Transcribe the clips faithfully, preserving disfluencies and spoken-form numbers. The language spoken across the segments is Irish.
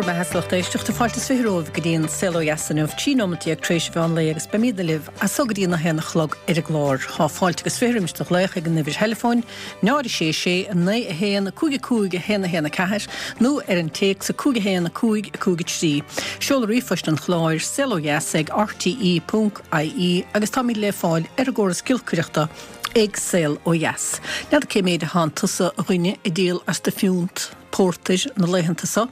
Beatha lucht éisteachta fáilte is fiche romhaibh go dtí an Saol Ó Dheas inniu, trí nóimeat déag tar éis an mheán lae agus beimidne libh as so go dtí a haon a chlog ar an gclár. Tá fáilte agus fiche roimis do ghlaoch ag an uimhir theileafóin, náid a sé sé, a naoi a haon, a cúig a cúig, a haon a haon a ceathair nó ar an téacs a cúig a haon, a cúig, a cúig a trí. Seoladh ríomhphoist an chláir, saol ó dheas ag rte ponc ie agus táimid le fáil ar an gcóras giolcaireachta ag Saol Ó Dheas. N'fheadar cé méid a thánn tusa a dhuine ag díol as do phiúnt pórtair na laethanta so.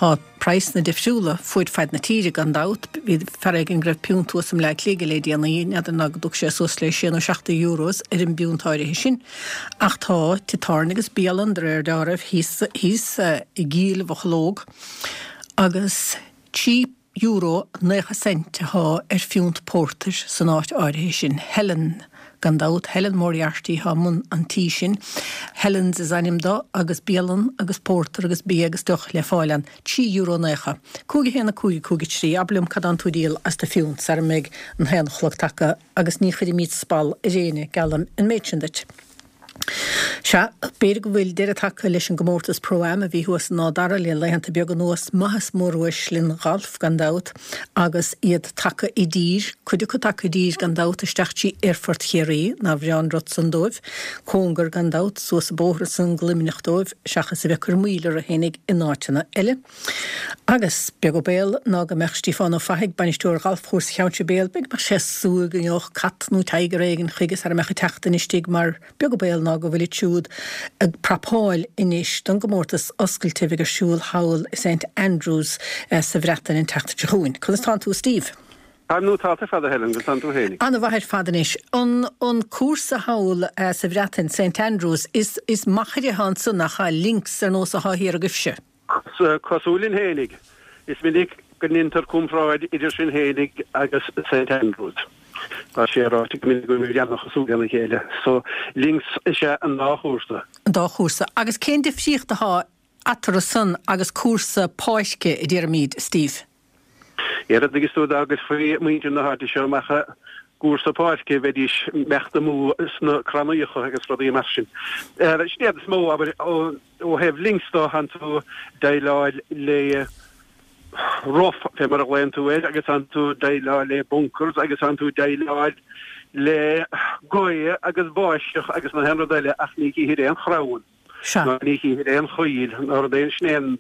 Tá praghsanna difriúla fuaid faid na tíre gan dabht. Bhí fear éigin go raibh piúnt thuas i mBleá Cliath aige le déanaí, n'fheadar ná go dtug sé suas le sé nó seacht de euros ar an bpiúnt áirithe sin. Ach tá tithe tábhairne agus bialann de réir dealraimh thíos thíos i gCill Mhocheallóg agus trí euro naocha cent atá ar phiúnt pórtair san áit áirithe sin. Helen, gan dabht, Helen Moriarty atá i mbun an tí sin. Helen's is ainm do agus bialann agus pórtar agus bia agus deoch le fáil ann. Trí euro naocha. Cúig a haon a cúig a cúig a trí. Abair liom cad tánn tú ag díol as do phiúnt sara mbeidh an haon a chlog tagtha agus ní chuirfimid spall ar éinne, geallaim an méid sin duit. Sea, b'fhéidir go bhfuil deireadh tagtha leis an gcomórtas Pro-Am a bhí thuas in Áth Dara le laethanta beaga anuas, maitheas móruaislinn ghalf gan dabht, agus iad tagtha i dtír, cuid acu tagtha i dtír gan dabht, isteach trí Aerfort Chiarraí, nár bhreá an rud san dóibh, cóngar gan dabht, suas an bóthar ansan go Luimneach dóibh, seachas a bheith ag cur moill orthu fhéinig in áiteanna eile. Agus beag an baol ná go mbeadh Stiofán Ó Fathaigh, bainisteoir Ghalfchúrsa Cheann Sibéal, b'fhéidir go mbeadh sé ag súil go ngeobhadh cat nó tiger éigin chuige sara mbeadh an tseachtain istigh mar beag an baol ná go bhfuilid siúd ag prapáil anois don gcomórtas oscailte a bheidh ar siúl thall i Saint Andrews sa Bhreatain an tseachtain seo chugainn. Conas tánn tú a Steve? Táim nótálta ar fad a Helen, conas tánn tú fhéinig? Ana-mhaith ar fad anois. An an cúrsa thall sa Bhreatain, Saint Andrews, is is machaire atá ansan nach ea? Links ar nós atá thiar agaibhse. Cosúil linn fhéinig, is minic go ndeintear comparáid idir sinn fhéinig agus Saint Andrews. Tá sé ráite go minic go bhfuil muid an-chosúil lena chéile. So, links is ea an dá chúrsa. An dá chúrsa. Agus cén difríocht atá eatarthu san agus cúrsa páirce, a déarfaimid, Steve? Ar a dtuigeas tú dá gcuirfí muintir na háite seo amach i gcúrsa páirce bheidís imeacht amú sna crannaíocha agus rudaí mar sin. Sin iad is mó, abair, ó thaobh links dó, thánn tú déileáil le rough, fé mar a ghlaonn tú air, agus thánn tú déileáil le bunkers agus thánn tú déileáil le gaoth agus báisteach agus na haon rud eile ach ní chífir aon chrann ná ní chífir aon choill ná rud éigin, sin é an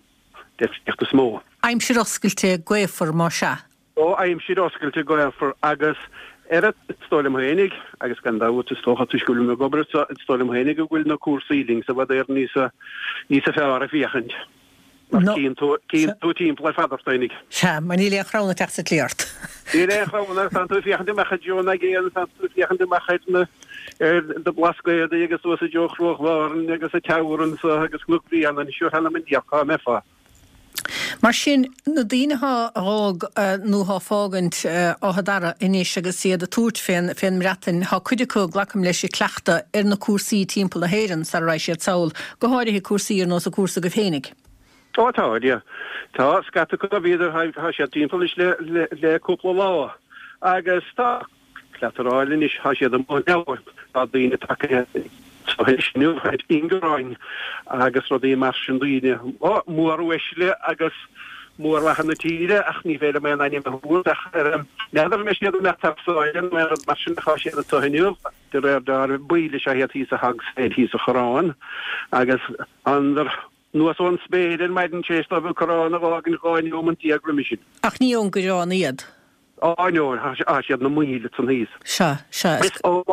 difríocht is mó. Aimsir oscailte gaofar, más ea. Ó, aimsir oscailte gaofar agus ar a, is dóigh liom fhéinig, agus gan dabht is dócha toisc go bhfuilim ag obair anseo, is dóigh liom fhéinig go bhfuil na cúrsaí links i bhfad Éireann níosa, níosa fearr ag féachaint. Mar cíonn tú, cíonn tú timpeall ar fad ort fhéinig. Sea, mar níl aon chrann ag teacht sa tslí ort. Níl aon chrann ort, tánn tú ag féachaint amach i dtreo an aigéin, tánn tú ag féachaint amach ar na, ar na Blascaodaí agus suas i dtreo Chruach Bhárthain agus an Teamhair anso agus Cnoc Bréanainn, sure th'anam 'on diabhal cá mbeifeá. Mar sin, na daoine atá a dh'fhág nó atá ag fágaint Áth Dara anois agus iad ag tabhairt fén fén mBreatain, tá cuid acu, glacaim leis, ag cleachtadh ar na cúrsaí timpeall na hÉireann sara raghaidh siad sall, go háirithe cúrsaí ar nós an cúrsa agaibh fhéinig. Ó tá, yeah. Tá scata acu, bhíodar, tá siad timpeall anois le le le cúpla lá agus tá. Cleatarráil anois, tá siad amuigh now, tá daoine tagtha anois inniu ar ingearáin agus rudaí mar sin, daoine móruaisle agus mórmhaithe na tíre ach ní féidir liom aon ainm a thabhairt ach n'fheadar an mbeidh siad ag imeacht thar sáile nó aon rud mar sin ach tá siad anseo inniu, de réir dealraimh, baill is ea iad thíos i Hog's Head thíos sa Choireán agus thánadar anuas ón spéir ar maidin tar éis dóibh an Corrán a dh'fhágaint dhá neomant déag roimis sin. Ach ní ón gCoireán iad. Á, no, tá siad na míle ansan thíos. Sea, sea, is. Ó,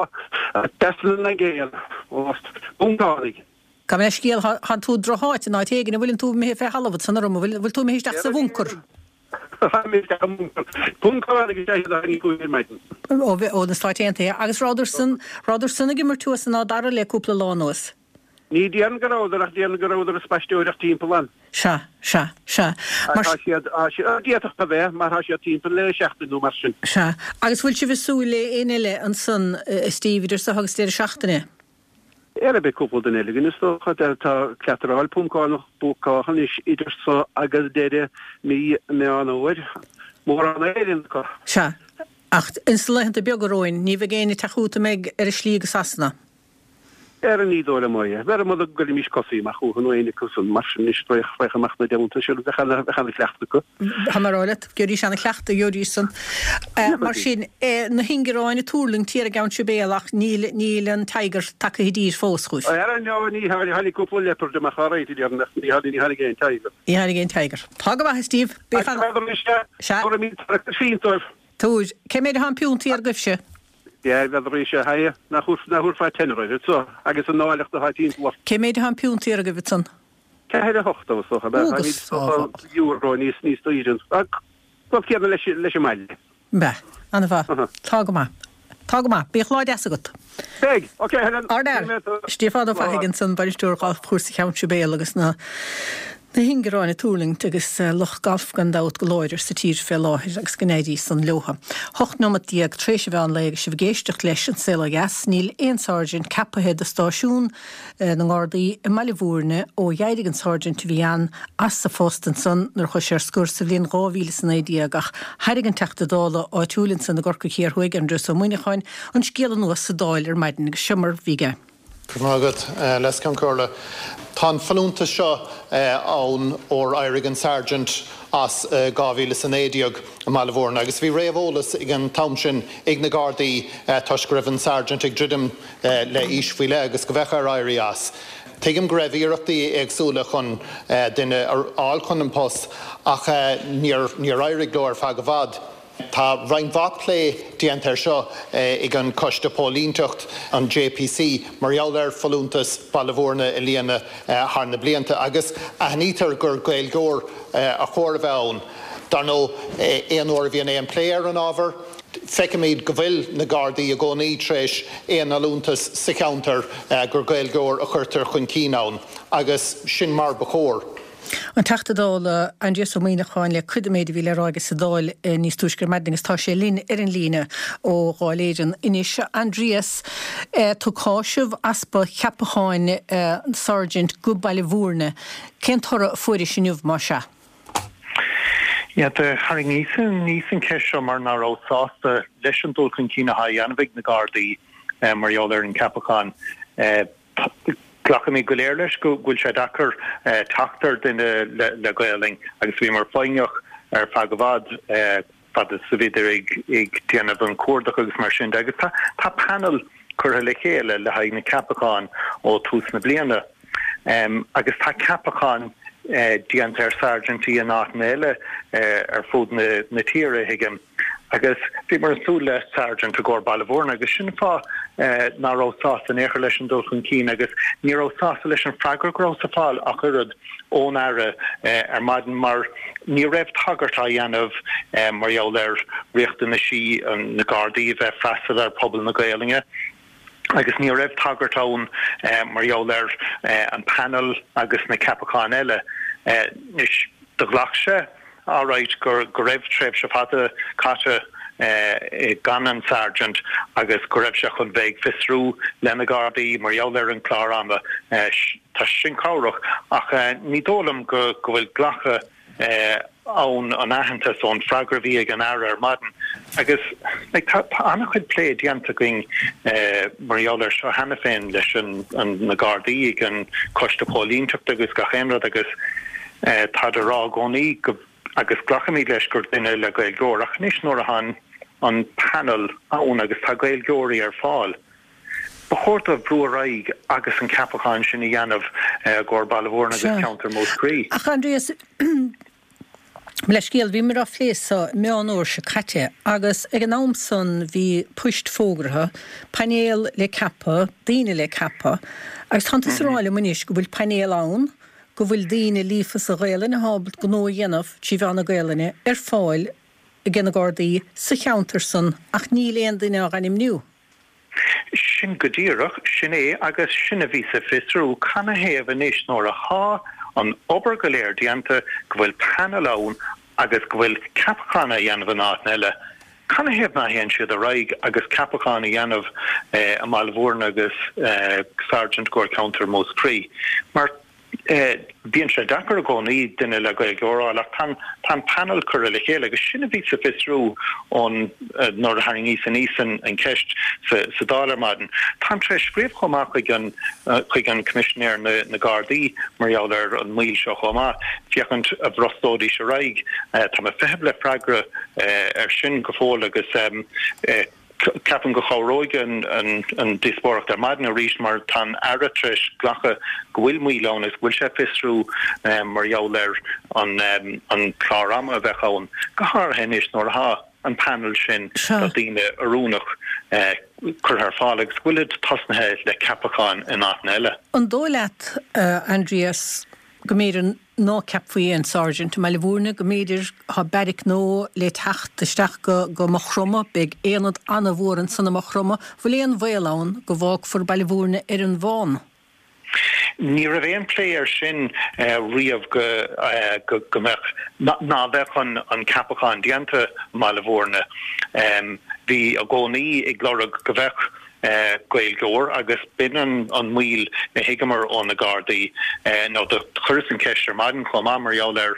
trasna na gCéann, ó Phuncánaigh. Gabh mo leithscéal, thánn tú i drocháit in áit éigin, an bhfuileann tú imithe fé thalamh ansan orm, an bhfuil, bhfuil tú imithe isteach sa bhuncar? Tá mé isteach i mbuncar. Puncánaigh is ea iad a tháinig chugainn ar maidin. Ó, ó na Stáit Aontaithe. Agus rabhadar san, rabhadar san ag imirt thuas in Áth Dara le cúpla lá anuas? Ní déarfainn go rabhadar ach déarfainn go rabhadar ag spaisteoireacht timpeall ann. Sea, sea, sea. Mar. Tá siad, tá siad, d'fhéadfadh a bheith, mar tá siad timpeall le seachtain nó mar sin. Sea. Agus bhfuil sibh ag súil le éinne eile ansan, a Steve, idir seo agus deireadh seachtaine? Ara beidh cúpla duine eile againn is dócha. Tá cleataráil Puncánach búcáilte anois idir seo agus deireadh mí Meán Fhómhair. Mórán Éireann acu. Sea. Ach ins na laethanta beaga romhainn, ní bheidh éinne ag teacht chugat a mbeidh ar a slí go Sasana? Ara ní dóigh liom é. B'fhearr mura gcuirfimis cosa amach chucu nó éinne acu san mar sin anois féach amach na dteannta sin bheadh ana-chleachtadh acu. Tá mé ag rá leat, gheobhaidís ana-chleachtadh, gheobhaidís san. Mar sin, na hingearáin ag tuirlingt thiar i gCeann Sibéal ach níl níl an tiger tagtha i dtír fós chugaibh. Ara no, ní tháinig cúpla leopard amach alright a déarfainn ach ní tháinig ní tháinig aon tiger. Ní tháinig aon tiger. Tá go maith a Steve. Bí fan. Sea. Tabhair. Cé méid atá an piúnt thiar agaibhse? N'fheadar ise, haigh, nach thabharfá tenner air so, agus an áilleacht atá timpeall ort. Cé méid atá an piúnt thiar agaibh ansan? Ceathair a hocht, is dócha, ab ea? Táimid dócha euro níos níos daoire. Rud céanna leis leis an mbaile. Bea, an-mhaith. Tá go maith. Tá go maith. Bíodh lá deas agat. Beidh! Ok, Helen. Ardfhear. Stiofán Ó Fathaigh ansan, bainisteoir Ghalfchúrsa Cheann Sibéal agus na Na hingearáin ag tuirlingt agus lucht gailf gan dabht go láidir sa tír fé láthair agus go n-éirí san leotha. Hocht nóimeat déag tar éis an mheán lae agus sibh ag éisteacht leis An Saol Ó Dheas, níl aon sáirsint ceapaithe do stáisiún na nGardaí i mBaile Bhúirne ó d'éirigh an sáirsint a bhí ann as a phost ansan nuair a chuaigh sé ar scor sa bhliain dhá mhíle is a naoi déag ach thairg an Teachta Dála áitiúil ansan i gCorcaigh Thiar Thuaidh, Aindrias Ó Muimhneacháin, an scéal anuas sa Dáil ar maidin agus seo mar a bhí aige. Go raibh maith agat, a Leas-Cheann Comhairle. Tá an folúntas seo ann ór éirigh an Sergeant as i dhá mhíle is a naoi déag i mBaile Bhúirne agus bhí réamheolas ag an t-am sin ag na Gardaí toisc go raibh an Sergeant ag druidim le aois faoi leith agus go bheadh air éirí as. Tuigim go raibh iarrachtaí éagsúla chun duine a fháil chun an post ach níor éirigh leo ar feadh i bhfad. Tá roinnt mhaith plé déanta air seo ag an Choiste Póilínteacht, an J P C, mar gheall ar folúntas Baile Bhúirne a líonadh thar na blianta agus aithnítear gur Gaeilgeoir a chóir a bheith ann. Dar ndóigh, aon uair a bhíonn aon plé ar an ábhar, feicimid go bhfuil na Gardaí i gcónaí tar éis aon fholúntas sa cheantar gur Gaeilgeoir a chuirtear chun cinn ann agus sin mar ba chóir. An Teachta Dála Aindrias Ó Muimhneacháin le cuid den méid a bhí le rá aige sa Dáil níos túisce ar maidin agus tá sé linn ar an líne ó Dháil Éireann anois. Aindrias, tú ag cáiseamh easpa ceapacháin Sergeant go Baile Bhúirne. Cén toradh a fuairis inniu más ea? Yeah, do tharraingíos aníos an cheist seo mar ná raibh sásta leis an dul chun cinn atá á dhéanamh ag na Gardaí mar gheall ar an ceapachán. Glacaimid go léir leis go bhfuil sé deacair teacht ar duine le Gaolainn agus bhíomar foighneach ar feadh i bhfad fad is a bhíodar ag déanamh an cuardach agus mar sin de agus tá panel curtha le chéile le haghaidh na ceapacháin ó tús na bliana agus tá ceapacháin déanta ar sergeantí in áiteanna eile ar fud na tíre, thuigim. Agus bhíomar ag súil le Sergeant i gcomhair Baile Bhúirne agus sin an fáth ná raibh sásta in aon chor leis an dul chun cinn agus ní raibh sásta leis an freagra go rabhas ag fáil ach oiread ón Aire ar maidin mar ní raibh tagairt á dhéanamh mar gheall ar riachtanaisí na Gardaí a bheith freastal ar phobal na Gaolainne. Agus ní raibh tagairt ann mar gheall ar an panel agus na ceapacháin eile. Anois, do ghlac sé alright go raibh tréimhse fada caite gan an Sergeant agus go raibh sé chun bheith ag fiosrú le na Gardaí mar gheall ar an clár ama. Tá sin cabhrach ach ní dóigh liom go bhfuil glacadh ann an aitheantas ón freagra a bhí ag an Aire ar maidin agus like tá an-chuid plé déanta againn mar gheall air seo cheana féin leis na Gardaí ag an Coiste Póilínteachta agus gach aon rud agus táid a rá i gcónaí go agus glacaimid leis gur duine le Gaeilgeoir ach anois nuair atá an an panel ann agus tá Gaeilgeoirí ar fáil ba chóir dóibh brú ar aghaidh agus an ceapachán sin a dhéanamh i gcomhair Baile Bhúirne agus ceantar Mhúscraí. Ach Aindrias, leithscéal, bhíomar á phlé seo Meán Fhómhair seo caite agus ag an am san bhí poist fógartha, painéal le ceapadh, daoine le ceapadh agus tánn tusa ag rá liom anois go bhfuil painéal ann, go bhfuil daoine líofa sa Ghaelainn atá ábalta gnó a dhéanamh trí mheán na Gaelainne ar fáil ag na Gardaí sa cheantar san ach níl aon duine á ainmniú. Sin go díreach, sin é agus sin a bhí sa fiosrú, canathaobh anois nuair athá an obair go léir déanta, go bhfuil panel ann agus go bhfuil ceapachán á dhéanamh in áiteanna eile, canathaobh ná théann siad ar aghaidh agus ceapachán a dhéanamh i mBaile Bhúirne agus Sergeant i gcomhair ceantar Mhúscraí? Mar Bíonn sé deacair i gcónaí duine le Gaeilge a fháil ach tá an panel curtha le chéile agus sin a bhí sa fiosrú ón nuair a tharraingíos aníos an cheist sa Dáil ar maidin. Táim tar éis scríobh chomh maith chuig an chuig an Coimisinéir na na Gardaí mar gheall ar an moill seo chomh maith, féachaint a bhrostóidís ar aghaidh. Tá mé ag feitheamh le freagra ar sin go fóill agus ceapaim go chabhróidh an díospóireacht ar maidin arís mar tá an Aire tar éis glacadh go bhfuil moill ann agus go bhfuil sé ag fiosrú mar gheall ar an clár ama a bheadh ann, go háirithe anois nuair atá an panel sin de daoine oiriúnach curtha ar fáil agus go bhfuilid tosnaithe le ceapacháin in áiteanna eile. An dóigh leat, Aindrias, go mb'fhéidir ná ceapfaí aon Sergeant i mBaile Bhúirne, go mb'fhéidir tá beairic nua le teacht isteach go go Maigh Chromtha, beidh aonad an-mhór ansan i Maigh Chromtha, bhfuil aon bhaol ann go bhfágfar Baile Bhúirne ar an bhfán? Ní raibh aon plé air sin riamh go go mbeadh ná bheadh an an ceapachán déanta i mBaile Bhúirne. Bhí i gcónaí ag lorg go bheadh Gaeilgeoir agus b'in an moill a thuigeamar ó na Gardaí nó do chuireas an cheist ar maidin chomh maith mar gheall ar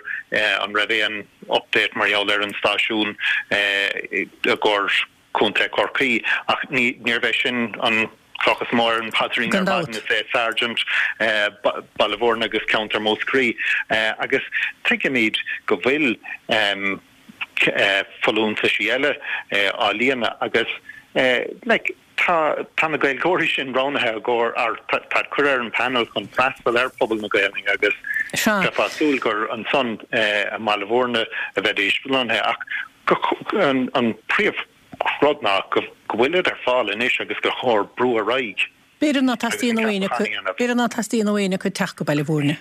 an raibh aon update mar gheall ar an stáisiún i gcomhair Contae Chorcaí ach ní níorbh é sin an cloch is mó ar an bpaidrín ar maidin is é Sergeant Baile Bhúirne agus ceantar Mhúscraí agus tuigimid go bhfuil folúntaisí eile á líonadh agus like tá tá na Gaeilgeoirí sin roghnaithe i gcomhair ar tá curtha ar an panel chun freastal ar phobal na Gaelainne agus bheifeá ag súil gur ansan i mBaile Bhúirne a bheidís lonnaithe ach an an príomh rud ná go go bhfuilid ar fáil anois agus gur chóir brú ar aghaidh. B'fhéidir ná teastaíonn ó éinne acu b'fhéidir ná teastaíonn ó éinne acu teacht go Baile Bhúirne.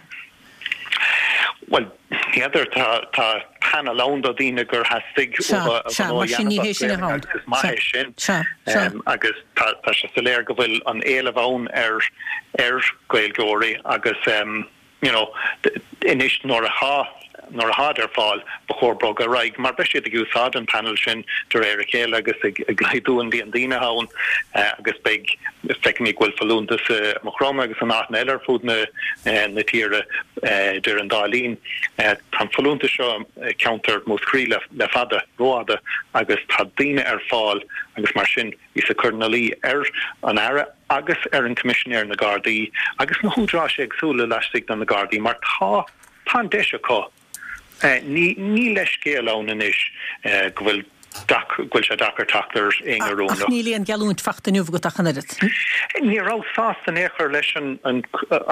Bhuel, n'fheadar, tá tá panel ann do daoine gur theastaigh uathu a gnó a dhéanamh as Gaeilge agus is maith é sin. Agus tá tá sé soiléir go bhfuil an éileamh ann ar ar Ghaeilgeoirí agus you know anois nuair atá nuair atáid ar fáil ba chóir bogadh ar aghaidh mar beidh siad ag úsáid an panel sin de réir a chéile agus ag ag laghdú an líon daoine ann agus beidh feicimid go bhfuil folúntas i Maigh Chromtha agus in áiteanna eile ar fud na na tíre idir an dá linn. Tá an folúntas seo i gceantar Mhúscraí le le fada, rófhada agus tá daoine ar fáil agus mar sin bhíos ag cur ina luí ar an Aire agus ar an Coimisinéir na Gardaí agus na húdaráis éagsúla laistigh de na Gardaí mar tá tá an deis acu. Ní ní leithscéal ann anois go bhfuil go bhfuil sé deacair teacht ar éinne oiriúnach. Ach níl aon gheallúint fachta inniu agat ach an oiread. Ní rabhas sásta in aon chor leis an an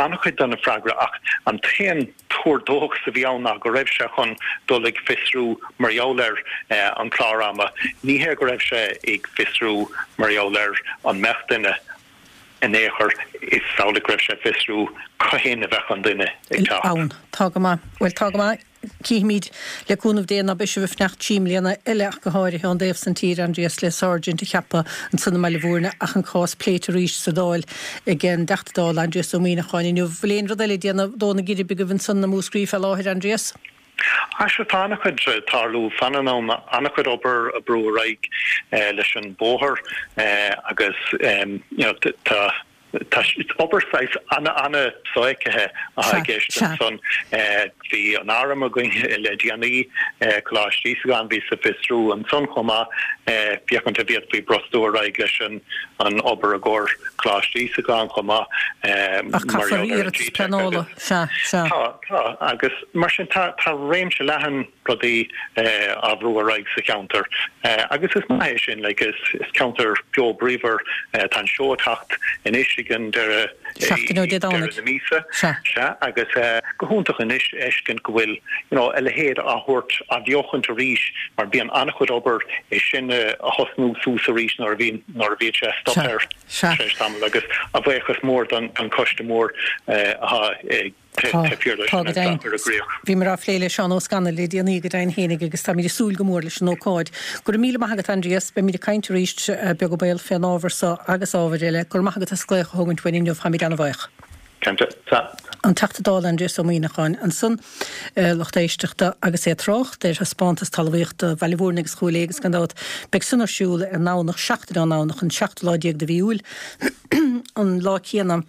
an-chuid de na freagra ach an t-aon tuar dóchais a bhí ann ná go raibh sé chun dul ag fiosrú mar gheall ar an clár ama. Ní hé go raibh sé ag fiosrú mar gheall ar an mbeadh duine in aon chor, is amhlaidh go raibh sé ag fiosrú cathain a bheadh an duine ag teacht. Ann. Tá go maith. Bhuel, tá go maith. Cífimid, le cúnamh Dé, ná beidh sibh ag fanacht trí mbliana eile ach go háirithe ón dtaobh san tíre, Aindrias, le Sergeant a cheapadh ansan i mBaile Bhúirne ach an cás pléite arís sa Dáil ag an dTeachta Dála Aindrias Ó Muíneacháin inniu. Bhfuil aon rud eile ag déanamh dó na geirbe agaibh ansan i Múscraí fé láthair, Aindrias? Á sea, tá an-chuid ag tarlú. Fanann ann an-chuid obair ag brú ar aghaidh leis an bóthar agus you know tá tá obair saghas an-an-sofheicthe atá i gceist ansan. Bhí an arm againn le déanaí, Coláiste Íosagáin, bhíos ag fiosrú ansan chomh maith féachaint an bhféadfaí brostú ar aghaidh leis an an obair i gcomhair Coláiste Íosagáin chomh maith Ach mar caithfear gheall ar an iarratas G-Tech pleanála, agus sea, sea. Tá, tá agus mar sin tá tá réimse leathan rudaí á bhrú ar aghaidh sa cheantar agus is maith é sin like is is ceantar beo bríomhar tá an seó ag teacht anois ag an deireadh Seachtain ó Dé deireadh Domhnaigh. na míosa Sea. sea agus go hiontach anois a fheiscint go bhfuil you know a leithéid á thabhairt á bheochaint arís mar bíonn an-chuid obair é sin a thosnú suas arís nuair a bhíonn nuair a bhíonn sé stoptha Sea. ar Sea. tar éis tamaill agus a bhuíochas mór don don choiste mór atá ag Tá, tá go deimhin. Bhíomar á phlé le Seán Ó Scanaill le déanaí go deimhin fhéinig agus táimid ag súil go mór leis an ócáid. Go raibh míle maith agat Aindrias, beimid ag caint arís beag an baol fén ábhar so agus ábhair eile. Go raibh maith agat as glaoch a thógaint uainn inniu, táimid ana-bhuíoch. Cinnte. Sea. An Teachta Dála Aindrias Ó Muíneacháin ansan, lucht éisteachta, agus é ag trácht ar thaispeántas talmhaíochta Bhaile Bhúirne agus Chúil Aodha agus gan dabht beidh san ar siúl ar an nDomhnach, seachtain ón nDomhnach, an seachtú lá déag de mhí Iúil, an lá céanna.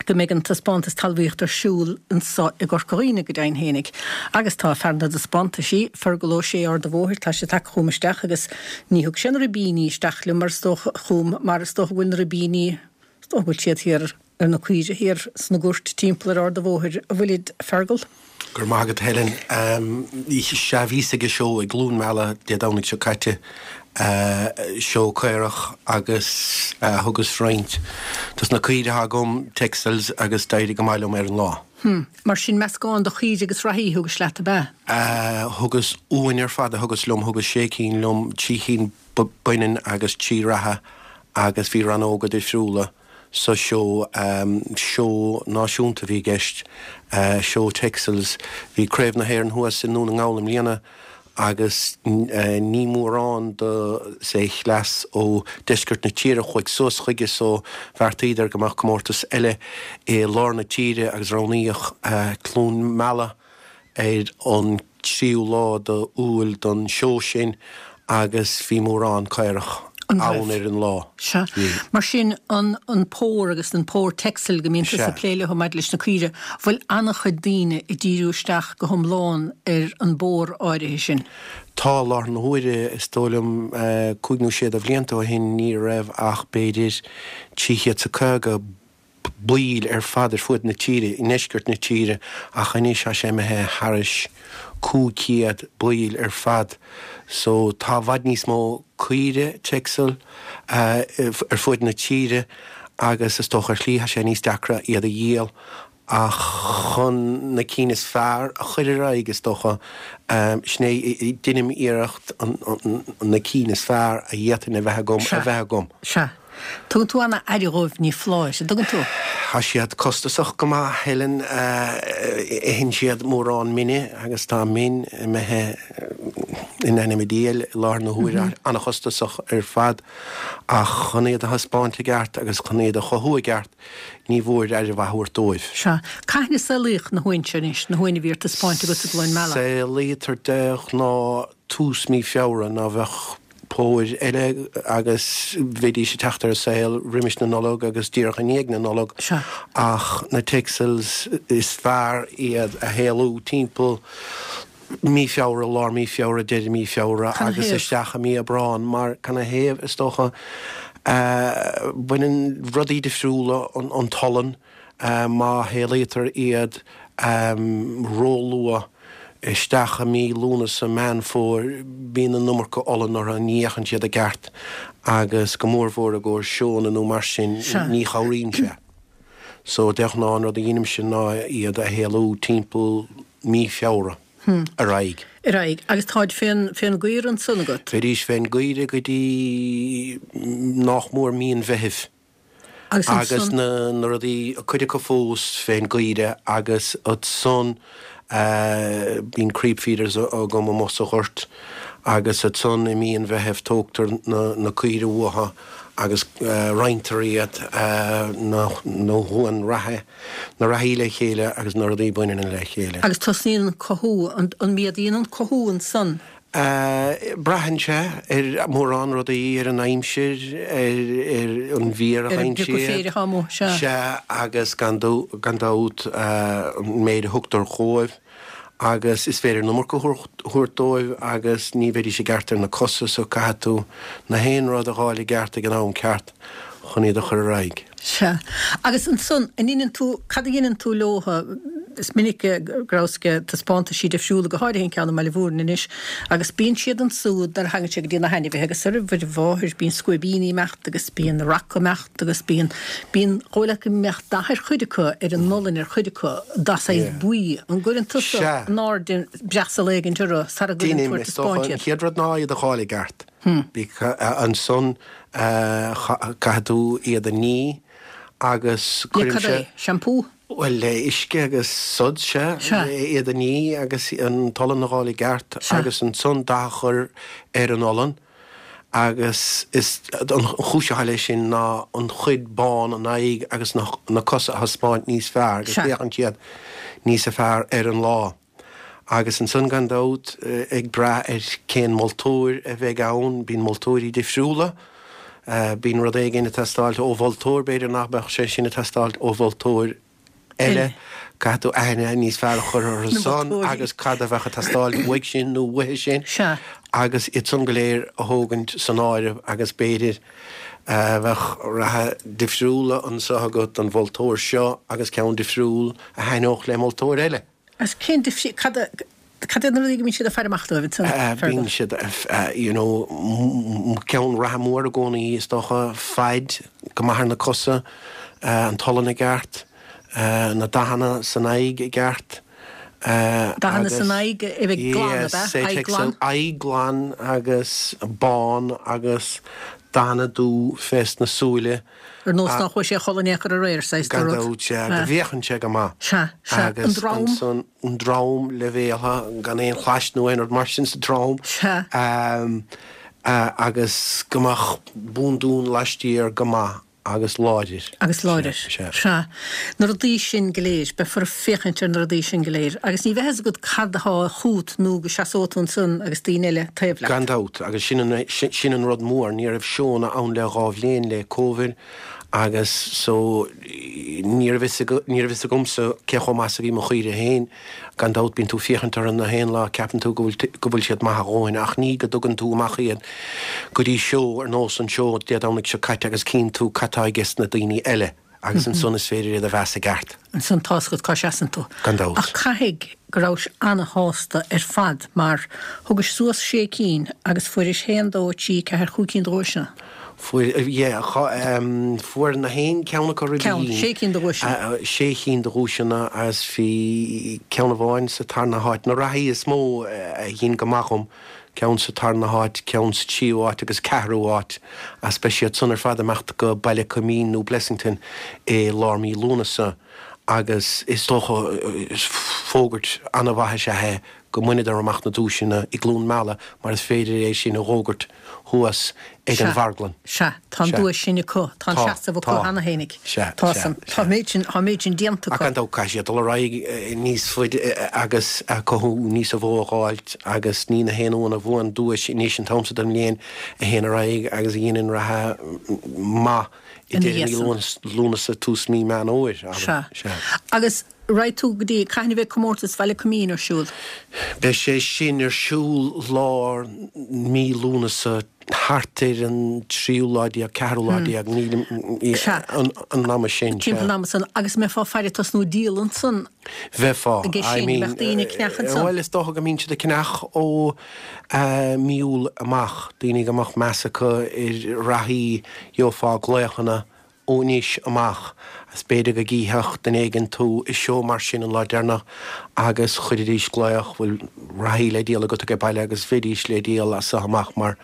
go mbeidh an taispeántas talmhaíochta ar siúl anseo i gCorca Dhuibhne go deimhin fhéinig. Agus tá fear na dtaispeántaisí, Fergal Ó Sé Ard a' Bhóthair, tá sé tagtha chugam isteach agus ní thug sé na ribíní isteach liom mar is dócha chugam mar is dócha go bhfuil na ribíní, is dócha go bhfuil siad thiar ar na caoire thiar sna goirt timpeall ar Ard a' Bhóthair, an bhfuilid, a Fergal? Go raibh maith agat Helen. Sea, bhíos ag an seó i gCluain Meala Dé Domhnaigh seo caite, seó caorach agus thugas roinnt dos na caoire atá agam, Texels, agus d'éirigh go maith liom ar an lá. Hm. Mar sin meascán de chaoire agus reathaí a thugais leat, ab ea? Thugas uain ar fad a thugas liom, thugas sé cinn liom, trí chinn baineann agus trí reatha agus bhí rannóga difriúla sa seó, seó náisiúnta a bhí i gceist, seó Texels. Bhí Craobh na hÉireann thuas i nDún na nGall i mbliana agus ní mórán de sé chleas ó deisceart na tíre a chuaigh suas chuige so bheartaíodar go mbeadh comórtas eile i lár na tíre agus roghnaíodh Cluain Meala ar an tríú lá d'Iúil don seó sin agus bhí mórán caorach An ann raibh? ar an lá. Sea. Bhí. Mar sin, an an pór agus an pór Texel go mbíonn tusa Sea. ag plé leo maidir leis na caoire, bhfuil an-chuid daoine ag díriú isteach go hiomlán ar an bpór áirithe sin? Tá, i láthair na huaire, is dóigh liom cúig nó sé de bhlianta ó shin ní raibh ach b'fhéidir trí chéad 's a caoga baill ar fad ar fuaid na tíre, i ndeisceart na tíre, ach anois tá sé imithe thairis cúig chéad baill ar fad. So tá i bhfad níos mó caoire Texel ar fuaid na tíre agus is dócha ar shlí tá sé níos deacra iad a dhíol ach chun na cinn is fearr a chur ar aghaidh is dócha, sin é, deinim iarracht na cinn is fearr a d'fhéadfainn a bheith agam a Sea. bheith agam. Sea. Tugann tú an-aire dhóibh, ní foláir, an dtugann tú? Tá siad costasach go maith, Helen. Itheann siad mórán mine agus tá min imithe in ainm an diabhail i láthair na huaire, an-chostasach ar fad. Ach chun iad a thaispeáint i gceart agus chun iad a chothú i gceart, ní mhór aire mhaith a thabhairt dóibh. Sea. Cathain a saolaíodh na huain seo anois, na huain a bhí ar taispeáint agat i gCluain Meala? Saolaítear de ghnáth tús mí Feabhra, nó bheadh póir eile agus bheidís ag teacht ar an saol roimis na Nollag agus díreach i ndiaidh na Nollag Sea. ach na Texels is fearr iad a shaolú timpeall mí Feabhra, lár mí Feabhra, deireadh mí Feabhra Cad 'na agus thaobh? isteach i mí Aibreán mar cad 'na thaobh is dócha baineann rudaí difriúla an t-olann má shaolaítear iad róluath isteach i mí Lúnasa, Meán Fómhair, bíonn an iomarca olann orthu, ní fhéachann siad i gceart agus go mórmhór i gcomhair seónna nó mar sin, ní chabhraíonn sé. So de ghnáth an rud a dheinimse ná iad a shaolú timpeall mí Feabhra ar aghaidh. Ar aghaidh. Agus táid fén, fén gcaora ansan agat? Bheidís fén gcaoire go dtí nách mór mí an Mheithimh. Agus Agus ansan? na, na rudaí, cuid acu fós fén gcaoire agus ansan bíonn creep feeders agam amuigh sa ghort agus ansan i mí an Mheithimh tógtar na, na caoire uathu agus roinntear iad, na, na huain reatha, na reathaí le chéile agus na rudaí baineanna le chéile. Agus tosnaíonn an cothú, an, an méadaíonn an cothú ansan? Braitheann sé ar mórán rudaí, ar an aimsir, ar ar an bhféar a Ar an fhaigheann bpriocadh siad. féir atá amuigh, sea. Sea, agus gan gan dabht an méid a thugtar dhóibh agus is féidir an iomarca a thabhairt dóibh agus ní bheidís i gceart ar na cosa so caithfidh tú na haon rud a dh'fháil i gceart ag an am ceart chun iad a chur ar aghaidh. Sea. Agus ansan, an ndeineann tú, cad a dheineann tú leotha? Is minic go rabhas ag taispeántaisí difriúla, go háirithe an ceann i mBaile Mhúirne anois, agus bíonn siad ansúd nuair a thagann sé go dtí na hainmhithe agus ar an mháthair, bíonn scuaibíní ag imeacht agus bíonn raca ag imeacht agus bíonn, bíonn, dhóigh leat go mbeadh dath ar chuid acu, ar an olann ar chuid acu, dath saghas buí. An gcuireann tusa Sea. in airde breasal éigint orthu sara gcuireann tú Deinim, ar is dócha. taispeáint An iad? chéad rud ná iad a dh'fháil i gceart. Ansan caithfidh tú iad a ní agus Le cad cuirimse. é? Shampoo? Bhuel, le uisce agus suds, sea. Sea. Iad a ní agus an t-olann a dh'fháil i gceart Sea. agus ansan dath a chur ar an olann agus is an chúis atá leis sin ná an chuid bán, an aghaidh agus na na cosa a thaispeáint níos fearr agus Sea. féachann siad níosa fearr ar an lá. Agus ansan gan dabht, ag brath ar cén moltóir a bheidh ann, bíonn moltóirí difriúla Bíonn rud éigin ag teastáilt ó mholtóir, b'fhéidir nach mbeadh sé sin ag teastáilt ó mholtóir eile. Caithfidh tú aithne níos fearr a chur orthu san agus cad a bheadh ag teastáilt uaidh sin nó uaithi sin agus iad san go léir a thógaint san áireamh agus b'fhéidir bheadh reatha difriúla anseo agat don mholtóir seo agus ceann difriúil a thaitneodh le moltóir eile. Agus cén difríocht, cad a, cad iad na rudaí go mbíonn siad ag faire amach dóibh ansan, Fergal? Bíonn siad, you know, ceann reatha mór i gcónaí is dócha, faid go maith ar na cosa, an t-olann i gceart, na dathanna san aghaidh i gceart, Dathanna san aghaidh, a bheith glan, ab ea? Aghaidh glan? Aghaidh glan agus bán agus dathanna dubh fés na súile. Ar nós nár chuaigh sé a chodladh in aon chor aréir, saghas de Gan rud. dabht, sea, go bhféachann sé go maith. Sea, sea. An Agus drom? ansan, an drom leibhéaltha, gan aon chlais nó aon rud mar sin sa drom. Sea. Agus go mbeadh búndún laistiar go maith agus láidir. Agus láidir. Sea. Sea. Na rudaí sin go léir, beifear ag féachaint ar na rudaí sin go léir. Agus ní bheidh a fhios agat cad atá chugat nó go seasóidh tú ansan agus daoine eile taobh leat. Gan dabht, agus sin an, sin an rud mór, ní raibh seónna ann le dhá bhliain le Covid agus so ní raibh fhios, ní raibh fhios agamsa cé chomh maith is a bhí mo chaoire féin. Gan dabht bíonn tú féachaint orthu na haon lá, ceapann tú go bhfuil, go bhfuil siad maith a dhóthain ach ní go dtugann tú amach iad go dtí seó ar nós an seó Dé Domhnaigh seo caite agus cíonn tú cad tá ages na daoine eile agus ansan is féidir iad a mheas i gceart. Ansan tá's agat cá seasann tú. Gan dabht. Ach caithfidh go rabhais ana-shásta ar fad mar thugais suas sé cinn agus fuairis haon, dó, trí, ceathair, chúig cinn de dhuaiseanna. Fuair, yeah, fuair na haon ceann acu roimh Ceann, sé cinn de dhuaiseanna. Sé chinn de dhuaiseanna agus bhí ceann amháin sa tarna háit. Na reathaí is mó a dhein go maith dhom, ceann sa tarna háit, ceann sa tríú háit agus ceathrú háit, agus beidh siad san ar fad ag imeacht go Baile Coimín nó Blessington i lár mí Lúnasa agus is dócha fógairt an-mhaith is ea é go mbaineadar amach na duaiseanna i gCluain Meala mar is féidir é sin a dh'fhógairt thuas ag an Sea, mharglann. sea, tá an Sea. duais sin acu, tá an Tá, seasamh acu tá. cheana fhéinig. Sea, Tá sea, san, tá sea. an méid sin, tá an méid sin déanta Ach acu. gan dabht caithfidh siad dul ar aghaidh níos faide agus cothú níos mó a dh'fháilt agus ní na haon uan a bhuann duais anois an t-am so den mbliain a théann ar aghaidh agus a dhéanann reatha maith i Ina deireadh mí dhiaidh san. Lúnasa, tús mí Meán Fhómhair, abair. Sea. Sea. Agus raghaidh tú go dtí, cathain a bheidh comórtas Bhaile Coimín ar siúl? Beidh sé sin ar siúl lár mí Lúnasa, thart ar an tríú lá déag, ceathrú lá déag, nílim, Sea. an, an ama sin, Timpeall sea. an ama san. Agus mbeifeá ag faire tosnú ag díol ansan Bheifeá, aige I sin, mean, bheadh daoine ag ceannach ansan. Bhuel, is dócha go mbíonn siad ag ceannach ó mí Iúil amach, daoine go mbeadh meas acu ar reathaí, gheofá glaochanna ó anois amach, is b'fhéidir go gcífeadh duine éigin tú i seó mar sin an lá deireanach agus chuirfidís glaoch, bhfuil reathaí le díol agat age baile agus bheidís le díol as so amach mar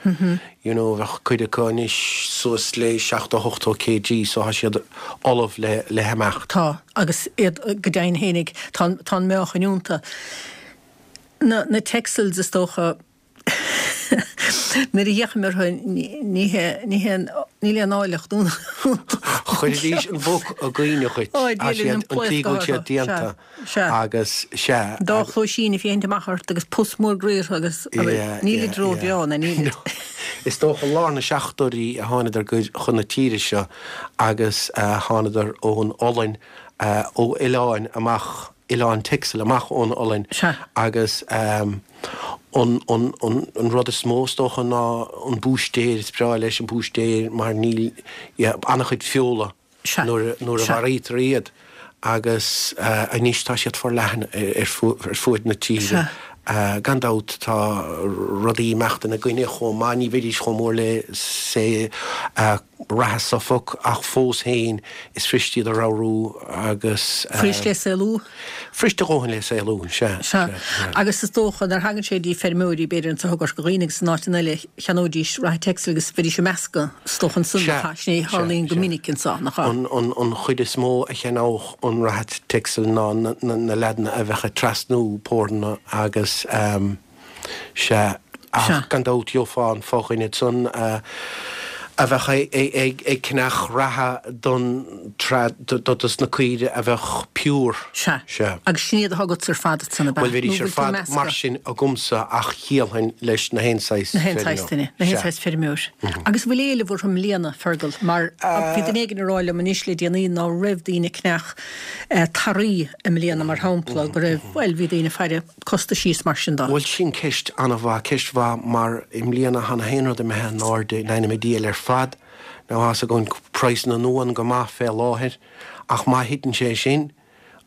you know bheadh cuid acu anois suas le seachtó ochtó kg so tá siad ullamh le le himeacht. Tá, agus iad go deimhin fhéinig, tá tá an meáchan iontu. Na na Texels is dócha Nuair a fhéachaim orthu ní hé ní hé níl aon áilleacht iontu. Chuirfidís an mhuc i gcuimhne dhuit. Ó, Dia linn, an an tslí go bhfuil pléascadh siad orthu. déanta Sea, sea. agus sea. Dá chluaisín ag féachaint amach ort agus pus mór groí orthu agus Yeah, nílid yeah, róbhreá yeah. ná nílid. Is dócha lár na seachtóidí a thánadar chun na tíre seo agus thánadar ón Ollainn, ó oileáin amach, Oileán Texel amach ón Ollainn Sea. agus an, an, an, an rud is mó is dócha ná an búistéir, is breá leis an búistéir mar níl, yeah, an-chuid feola Sea. nuair, nuair a Sea. mharaítear iad agus anois tá siad forleathan ar fuaid na tíre. Sea. Gan dabht tá rudaí ag imeacht ina gcoinne chomh maith, ní bheidís chomh mór le say reatha Suffolk ach fós féin is fuirist iad a ramhrú agus. Fuirist le saolú? Fuirist a dhóthain le saolú, sea. Sea. Agus is dócha nuair a thagann sé dtí feirmeoirí b'fhéidir anseo i gCorca Dhuibhne agus in áiteanna eile cheannóidís reatha Texel agus bheidís ag meascadh is dócha ansan Sea, nach ea? Sin é a sea, tharlaíonn go sea. minic anseo, nach ea? An, an, an chuid is mó a cheannódh an reatha Texel ná na, na, na leaideanna a bheadh ag trasnú pórna agus ehm, sea, ach Sea. gan dabht gheofá an fodhuine san, a bheadh ag ceannach reatha don dos na caoire a bheadh pure. Sea. Sea. Agus sin iad atá agatsa ar fad ansan, ab ea? Bhuel, bheidís ar fad mar sin agamsa ach dhíolfainn leis na haon saghas feirmeoir. Na haon saghas duine, na haon saghas feirmeoir. Agus an bhfuil éileamh orthu i mbliana, Fergal, mar bhí duine éigin ag rá liom anois le déanaí ná raibh daoine ag ceannach tarraí i mbliana, mar shampla, go raibh, bhuel, bhí daoine ag faire costaisí is mar sin de. Bhuel, sin ceist an-mhaith, ceist mhaith mar i mbliana thá na haon rud imithe in airde in ainm a diabhail ar fad. Now thá's againn praghsanna na n-uan go maith fé láthair ach má thiteann sé sin,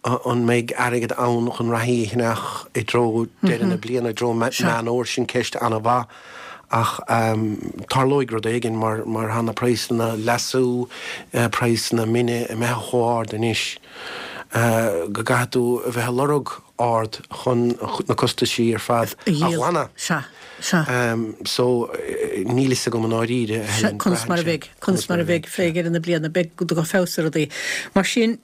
an mbeidh airgead ann chun reathaí a cheannach i dtreo deireadh na bliana, i dtreo Meán Fómhair, sin ceist an-mhaith ach tarlóidh rud éigin mar mar thá na praghsanna leasú, praghsanna mine imithe chomh hard anois go gcaithfidh tú a bheith ag lorg ard chun na costaisí ar fad a ghlanadh. Sea, sea. So, níl fhios agam i ndáiríre, a Helen. Conas mar a bheidh, conas mar a bheidh fé dheireadh na bliana, beidh go feabhas ar rudaí. Mar sin,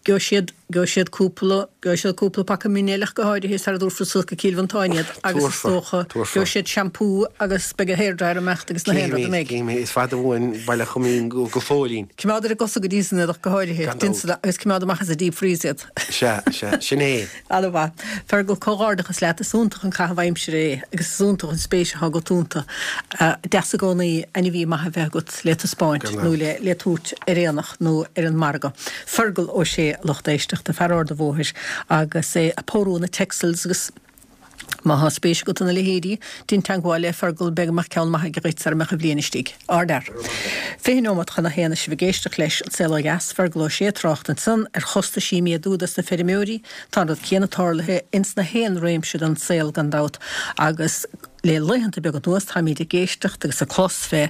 gheobhaidh siad, gheobhaidh siad cúpla, gheobhaidh siad cúpla paca mine eile ach go háirithe sara dtabharfar suas go Cill Mhantáin iad agus is dócha, gheobhaidh siad seampú agus beidh an hairdryer ag imeacht agus na haon rud a mbeidh. Cífimid, is fada uainn Baile Choimín go fóillín. Coimeád ar a gcosa go dtí san iad ach go háirithe, déan agus coimeád amach as an deep freeze iad. Sea, sea, sin é. Ana-mhaith. Fergal, comhghairdeachas leat, is iontach an caitheamh aimsire é agus is iontach an spéis atá agat iontu. Deas i gcónaí ainmhí maith a bheith agat le taispeáint nó le le tabhairt ar aonach nó ar an margadh. Fergal Ó Sé, a lucht éisteachta, fear Ard an Bhóthair agus é ag pórú na Texels agus Má thá spéis agat ina leithéidí, déan teagmháil le Fergal, b'fhéidir go mbeadh ceann maith aige dhuit sara mbeadh an bhliain istigh. Ardfhear. Fiche neomat chun a haon is sibh ag éisteacht leis An Saol Ó Dheas, Fergal Ó Sé ag trácht ansan ar chostaisí ag méadú dos na feirmeoirí. Tá an rud céanna tarlaithe ins na haon réimse den saol gan dabht agus le laethanta beaga anuas táimíd ag éisteacht agus ag clos fé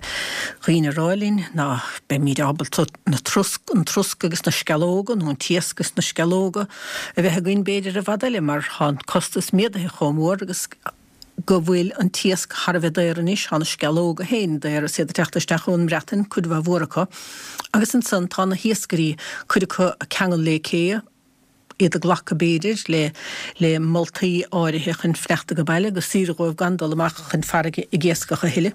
dhaoine ag rá linn ná beimíd ábalta na trosc, an trosc agus na sceallóga nó an t-iasc agus na sceallóga a bheith againn b'fhéidir i bhfad eile mar tá an costas méadaithe chomh mór agus go bhfuil an t-iasc thar a bheith daor anois, tá na sceallóga féin daor is iad ag teacht isteach ón mBreatain, cuid mhaith mhór acu. Agus ansan tá na hiascairí, cuid acu ag ceangal le cé, iad ag glacadh b'fhéidir le le moltaí áirithe chun fanacht age baile gur saoire dhóibh gan dul amach chun farraige ag iascach a thuilleadh.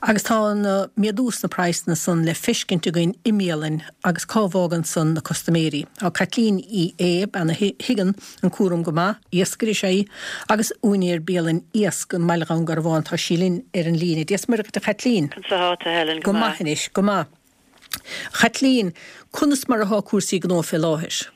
Agus tá an méadú sna praghsanna san le feiscint againn i mbialainn agus cá bhfágann san na custaiméirí. Tá Caitlín Uí Aodha, bean a thuigeann an cúram go maith, iascaire is ea í agus úinéir bialann iasc i mBaile Dhún Garbhán, tá sí linn ar an líne. Dia 's Muire dhuit a Chaitlín. Conas atá tú Helen? Go maith anois, go maith. Chaitlín, conas mar athá cúrsaí gnó fé láthair?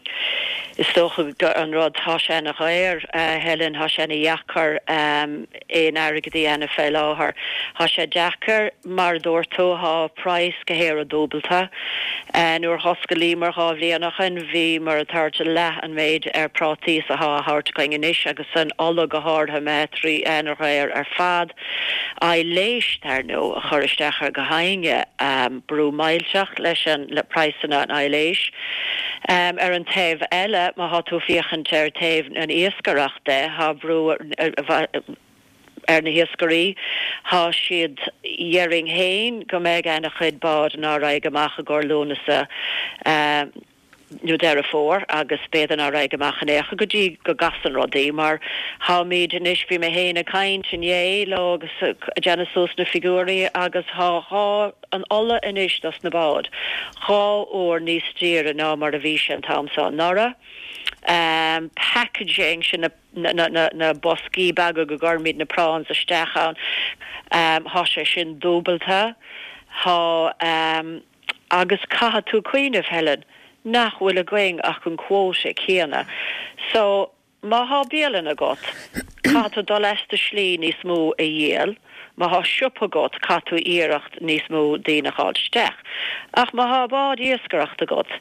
Is dócha go an rud, thá sé ana dhaor, a Helen, thá sé ana dheacair aon airgead a dhéanamh fé láthair. Thá sé deacair, mar a dúirt tú, thá praghas gach aon rud dúbalta. Nuair a dh'osclaíomar dhá bhliain ó shoin, bhíomar ag tabhairt leath an méid ar prátaí is athá á thabhairt againn anois agus an ola go háirithe imithe trí ana dhaor ar fad. Aibhléis, dar ndóigh, a chur isteach ar gach éinne, brú millteach leis an, le praghsanna an aibhléis. Ar an taobh eile, má thá tú féachaint ar taobh an iascaireacht de, thá brú ar na hiascairí, thá siad, dhéarfainn fhéin go mbeidh ana chuid bád ná raghaidh amach i gcomhair Lúnasa, nó Deireadh Fómhair agus b'fhéidir ná raghaidh amach in aon chor go dtí go gcasann rudaí mar tháimíd anois, bhí mé fhéin ag caint inné leo agus ag déanamh suas na figiúirí agus thá dhá, an ola anois dos na báid dhá uair níos daoire ná mar a bhí sé an t-am seo anuraidh. Packaging, sin na, na, na, na boscaí beaga go gcuirimíd na prawns isteach ann, thá sé sin dúbalta, thá. Agus caithfidh tú cuimhneamh, Helen, nach bhfuil againn ach an quota céanna. So, má thá bialann agat, caithfidh tú dul as do shlí níos mó a dhíol, má thá siopa agat, caithfidh tú iarracht níos mó daoine a dh'fháilt isteach. Ach má thá bád iascaireachta agat,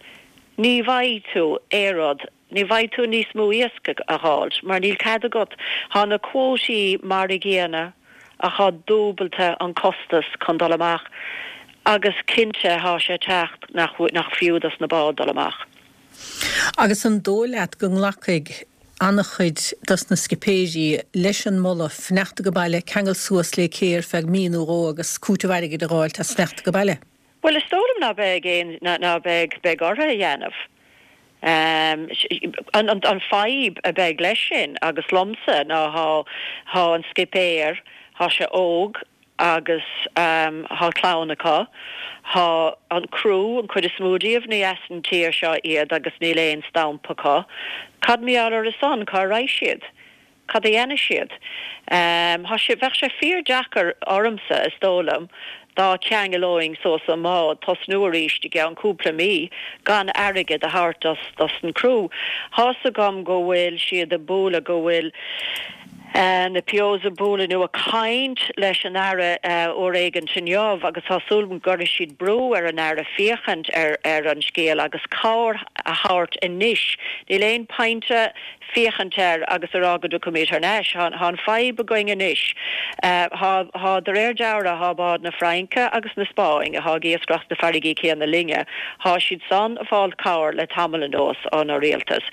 ní bhfaighidh tú aon rud, ní bhfaighidh tú níos mó iasc a dh'fháilt, mar níl cead agat. Thá na quotaí mar a gcéanna. ach thá dúbalta an costas chun dul amach agus cinnte thá sé teacht nach nach fiú dos na báid dul amach. Agus an dóigh leat go nglacfaidh an-chuid dos na scipéirí leis an moladh fanacht age baile, ceangal suas le cé ar feadh mí nó dhó agus cúiteamh airgid a dh'fháilt as fanacht age baile? Bhuel is dóigh liom ná beidh aon ná beidh beidh orthu a dhéanamh. An an fadhb a beidh leis sin agus liomsa ná thá thá an scipéir thá sé óg agus thá clann acu. Thá an criú, an chuid is mó díobh, ní as an tír seo iad agus níl aon stampa acu. Cad mar gheall orthu san? Cá raghaidh siad? Cad a dhéanfaidh siad? Thá sé, bheadh sé fíor-deacair ormsa, is dóigh liom, dá gceanglóinn suas an mbád, tosnú arís i gceann cúpla mí gan airgead a thabhairt dos, dos an criú. Thá's agam go bhfuil siad ag bualadh, go bhfuil na POs ag bualadh nó ag caint leis an Aire uair éigint inniu agus tá súil agam go gcuirfidh siad brú ar an Aire féachaint ar ar an scéal agus cabhair a thabhairt anois. Níl aon pointe féachaint air agus a rá go dtiocfaimid thar n-ais. Tá an fadhb againn anois. Tá, tá, de réir dealraimh, tá báid na Fraince agus na Spáinne atá ag iascaireacht sna farraigí céanna linne, tá siad san ag fáil cabhair le tamall anuas ón rialtas.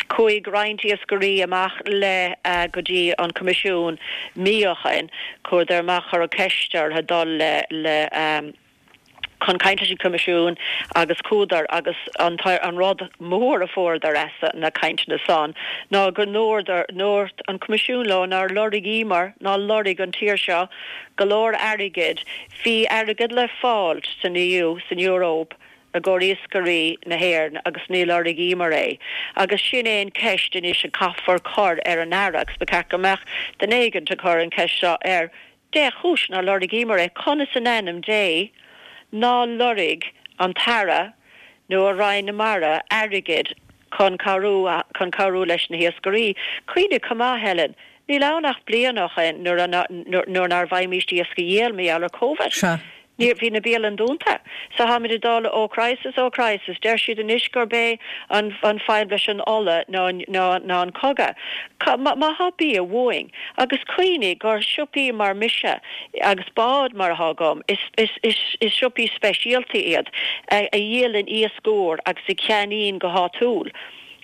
Chuaigh roinnt iascairí amach le go dtí an Coimisiún mí ó shin, chuadar amach, cuireadh ceist orthu dul le le chun caint leis an Choimisiún agus chuadar agus an an rud mór a fuaireadar as na cainteanna san ná go ndúirt an Coimisiún leo nár lorgaíomar ná lorg an tír seo go leor airgid, bhí airgead le fáilt san EU, san Eoraip i gcomhair iascairí na hÉireann agus ní lorgaíomar é. Agus sin é an ceist anois a caithfear cur ar an Aire agus ba cheart go mbeadh duine éigint ag cur an ceist seo air, Dé chúis nár lorgaíomar é? Conas in ainm Dé ná lorg an tAire nó a Roinn na Mara airgead chun cabhrú chun cabhrú leis na hiascairí? Cuimhnigh chomh maith, Helen, níl ann ach bliain ó shin nuair a nuair nár bhfaighimíst iasc a dhíol mar gheall ar Covid. Sea. Ní, bhí na bialanna dúnta. So tháimid ag dul ó crisis ó crisis. Deir siad anois gurb é an an fadhb leis an ola ná ná ná an cogadh. Má má thá bia uainn, agus cuimhnigh gur siopaí mar mise agus bád mar athá agam, is is is is siopaí speisialta iad a a dhíolann iasc úr agus a cheannaíonn go háitiúil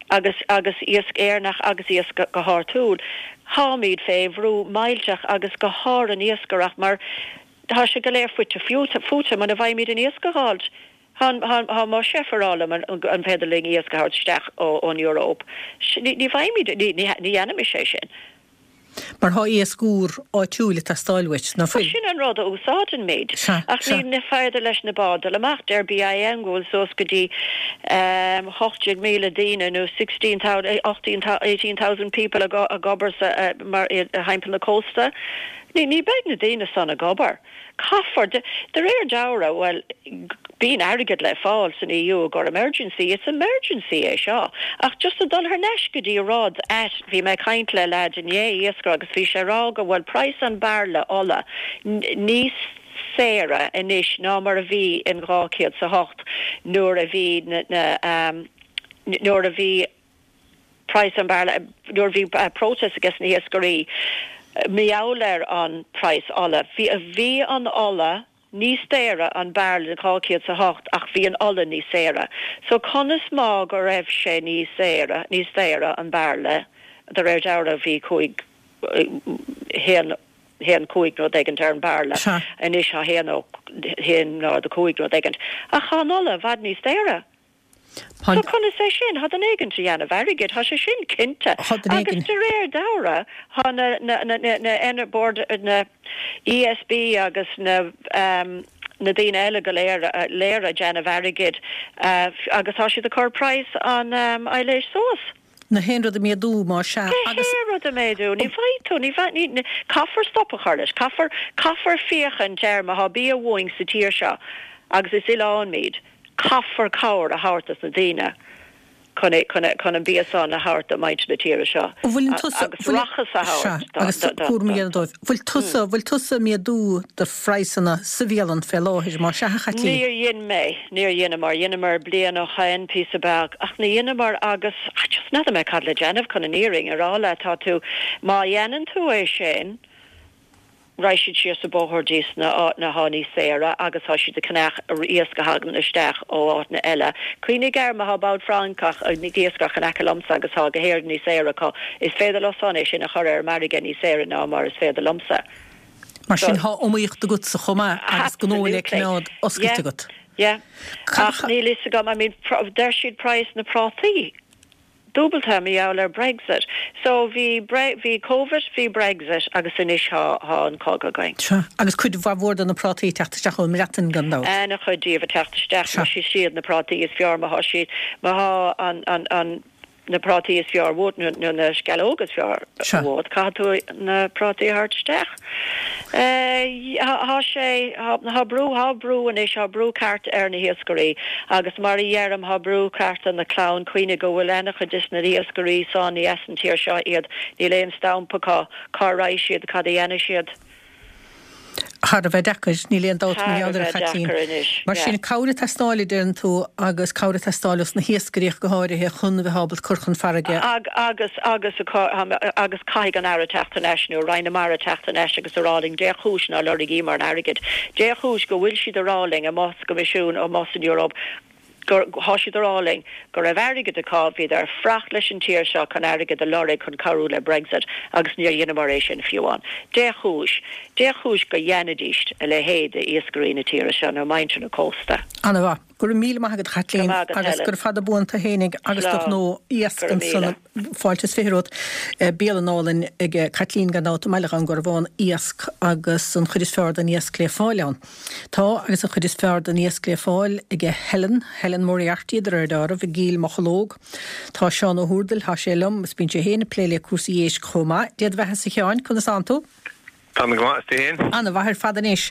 agus agus iasc Éireannach agus iasc go háitiúil. Tháimid fé bhrú millteach agus go háirithe an iascaireacht mar Tá sé go léir fite fuaite muna bhfaighimid an iasc a dh'fháilt. Tá mo chef ag rá liom an féidir linn iasc a thabhairt isteach ón Eoraip. Ní bhfaighimid, ní dhéanfaimis é sin. Mar thá iasc úr áitiúil ag teastáil uait, ná fuil? Sin an rud a úsáidimid. Ach ní féidir leis na báid dul amach. Deir BIM go bhfuil suas go dtí hocht déag míle daoine nó sixteen thousand, eighteen thousand people ag obair thimpeall na cósta. Ní beidh na daoine san ag obair. Caithfear, de réir dealraimh, bhuel, bíonn airgead le fáil san EU i gcomhair emergency, it's emergency é seo. Ach just a dul thar n-ais go dtí rud ait, bhí mé ag caint le leaid inné, iascaire, agus bhí sé ag rá go bhfuil praghas an bairille ola níos saoire anois ná mar a bhí in dhá chéad 's a hocht nuair a bhí na, na, nuair a bhí praghas an bhairille, nuair a bhí protest ages na hiascairí mar gheall ar an praghas ola. Bhí, bhí an ola níos daoire an bairille in dhá chéad 's a hocht ach bhí an ola níos saoire. So conas má go raibh sé níos saoire, níos daoire an bairille, de réir dealraimh bhí cúig, haon, haon cúig rud éigint ar an bairille, anois tá haon ó, haon náid a cúig rud éigint. Ach tá an ola i bhfad níos daoire. So conas é sin? Thá duine éigint a dhéanamh airgid, thá sé sin cinnte. Agus de réir dealraimh, thá na, na, na, na, na Bord, na ESB agus na, na daoine eile go léir, léir a déanamh airgid agus thá siad ag cur praghas an aibhléis suas. Na haon rud a méadú, más ea, agus. Gach aon rud a méadú. Ní bhfaighidh tú, ní bhfaighidh, ní, caithfear stop a chur leis, caithfear, caithfear féachaint air má thá bia uainn sa tír seo agus is oileán muid. Caithfear cabhair a thabhairt dos na daoine chun é, chun, chun an bia san a thabhairt do mhuintir na tíre seo Bhfuil tusa, agus rachas a thabhairt do, agus do, do, cúram a do. dhéanamh dóibh. Bhfuil tusa, bhfuil tusa ag méadú do phraghsanna sa bhialann fé láthair, más ea, a Chaitlín? Níor dhein mé, níor dheineamar, dheineamar bliain ó shoin, píosa beag, ach ní dheineamar agus, ah, just n'fheadar mé cad le déanamh chun an fhírinne a rá leat, tá tú, má dhéanann tú é sin, Raghaidh siad síos an bóthar dtí sna áiteanna athá níos saoire agus tá siad ag ceannach iasc a thagann isteach ó áiteanna eile. Cuimhnigh air, má thá bád Francach ag iascaireacht in aice liomsa agus thá go hÉirinn níos saoire acu, is féidir leo san é sin a chur ar an margadh níos saoire ná mar is féidir liomsa. Mar sin thá iomaíocht agatsa chomh maith agus gnó le coimeád oscailte agat. Yeah. Ach níl fhios agam, I mean, deir siad praghas na prátaí. dúbalta mar gheall ar Brexit. So bhí bhí Covid, bhí Brexit agus anois thá thá an cogadh againn. Sea, agus cuid mhaith mhór de na prátaí ag teacht isteach ón mBreatain gan dabht. Ana chuid díobh ag teacht isteach, mar is iad na prátaí is fearr má thá siad, má thá an an an na prátaí is fearr uait nó nó na sceallóga is fearr uait, caithfidh tú na prátaí a thabhairt isteach. Thá sé, thá brú, thá brú anois, thá brú ceart ar na hiascairí agus mar a dheirim, thá brú ceart ar na clann. Cuimhnigh go bhfuil ana-chuid des na hiascairí san ní as an tír seo iad, níl aon stampa acu, cá raghaidh siad, cad a dhéanfaidh siad? Thar a bheith deacair, níl aon dabht mar gheall air, a Chaitlín. Mar sin, cabhair ag teastáil, a deireann tú, agus cabhair ag teastáil os na hiascairí ach go háirithe chun a bheith ábalta cur chun farraige. Agus, agus, agus caithfidh an Aire teacht thar n-ais nó Roinn na Mara teacht thar n-ais agus a rá linn dé chúis ná lorgaíomar an airgead, dé chúis go bhfuil siad a rá linn amuigh sa gCoimisiún, amuigh san Eoraip, gur, thá siad a rá linn go raibh airgead acu, bhíodar ar fuireach leis an tír seo chun airgead a lorg chun cabhrú le Brexit agus níor dheineamar é sin fiú amháin. Dé chúis, dé chúis go dhéanfaidís a leithéid d'iascairí na tíre seo nó muintir na cósta. Ana mhaith. Go raibh míle maith agat a Chaitlín agus gura fada buan tú fhéinig agus do ghnó iasc ansan. Fáilte is fiche romhat. Bialann álainn ag Caitlín gan dabht i mBaile Dhún Garbhán, iasc agus an chuid is fearr den iasc le fáil ann. Tá, agus an chuid is fearr den iasc le fáil ag Helen, Helen Moriarty de réir dealraimh, i gCill Mocheallóg. Tá Seán Ó hÚrdail, tá sé liom, is bíonn sé féin ag plé le cúrsaí éisc chomh maith. Dé do bheatha-sa a Sheáin, conas tánn tú? Tá mé go maith, is tú féin? Ana-mhaith ar fad anois.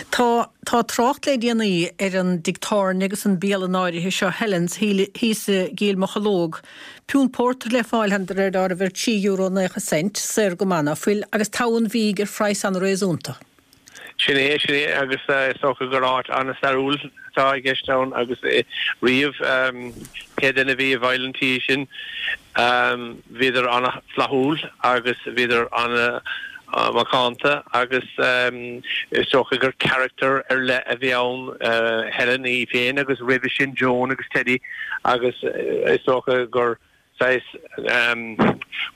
Tá, tá trácht le déanaí ar an dtigh tábhairne agus an bialann áirithe seo, Helen's, thíos i gCill Mocheallóg. Piúnt pórtair le fáil ann de réir dealraimh ar trí euro naocha cent, saor go maith ná fuil, agus togha an bhídh ar phraghas an-réasúnta. Sin é, sin é, agus is dócha gur áit an-stairiúil atá i gceist ann agus riamh pé duine a bhí i bhfeighil an tí sin, bhíodar an-fhlaithiúil agus bhíodar an-mhacánta agus is dócha gur charachtar ar leith a bhí ann, Helen í féin agus roimhe sin Joan agus Teddy agus is dócha gur saghas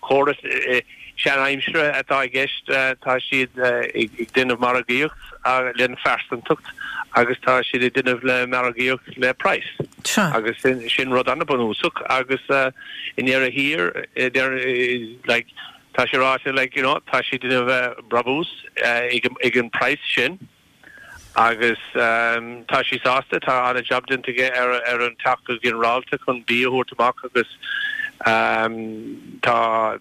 córas sean-aimsire atá i gceist. Tá siad ag déanamh margaíocht lena phearsantacht agus tá siad ag déanamh le margaíocht le praghas. Agus sin rud an-bhunúsach agus i ndeireadh thiar, like, tá sé ráite, like, you know, tá siad ag déanamh brabús ag an praghas sin. Agus tá sí sásta, tá an-jab déanta aige ar an teach go ginearálta chun bia a thabhairt amach agus tá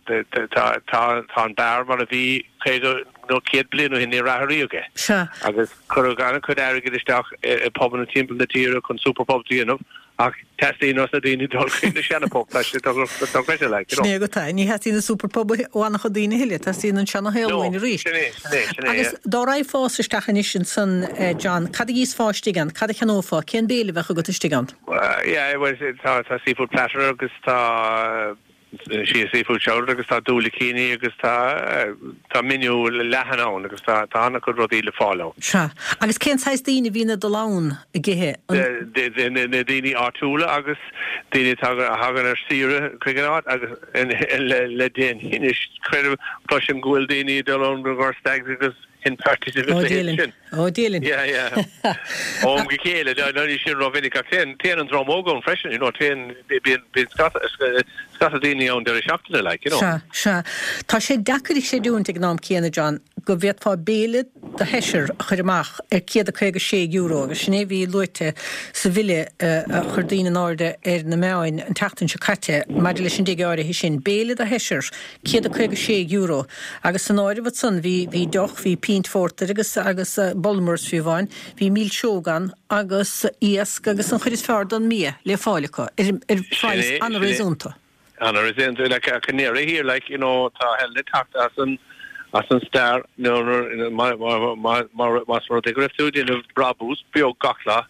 tá an beár mar a bhí caoga nó céad bliain ó shin, níor athraíodh é. Sea. Agus cuireadh an-chuid airgid isteach i bpubanna timpeall na tíre chun super pubs a dhéanamh. Ach teastaíonn ós na daoine dul chuig na seana-phub, tá sé dochreidte, like, you know. Sin é agat é. Ní theastaíonn an super pub ó an-chuid daoine a thuilleadh, teastaíonn an seana-shaol No, uainn arís. sin é, sin é, sin é, Agus yeah. dá raghfása isteach anois ansan, John, cad a dhíosfá istigh ann? Cad a cheannófá? Cén béile a bheadh agat istigh ann? Well, yeah, well, tá, tá seafood platter agus tá, sí seafood chowder agus tá diúilicíní agus tá tá menu leathan ann agus tá tá an-chuid rudaí le fáil ann. Sea. Agus cén saghas daoine a bhíonn ag dul ann ag ithe? An. Na daoine áitiúla agus daoine atá a thagann ar saoire chuig an áit agus le le déanaí anois creidim cloisim go bhfuil daoine ag dul ann do gur stags agus hen parties agus Ó a leithéid Dia linn. sin. Ó Dia linn. Yeah, yeah. Ó am go chéile, no ní sin rómhinic ach téann téann an dream óg ann freisin, you know, téann bíonn bíonn scata scata daoine ann deireadh seachtaine like, you know. Sea, sea. Tá sé deacair a chreidiúint ag an am céanna, John, go bhféadfá béile do sheisear a chur amach ar céad a caoga sé euro agus sin é a bhí luaite sa bhille a chuir daoine in airde ar na meáin an tseachtain seo caite maidir leis an dtigh áirithe sin. Béile do sheisear, céad a caoga sé euro agus san áireamh ansan bhí bhí deoch, bhí pínt phórtair agus agus Bulmers fiú amháin, bhí milseog ann agus iasc agus an chuid is fearr den mbia le fáil acu ar ar Sin phraghas é, sin é. an-réasúnta. An-réasúnta, like ach i ndeireadh thiar, like, you know, tá Helen ag teacht as an as an stair nuair más rud é go raibh tú ag déanamh brabús beag gach lá,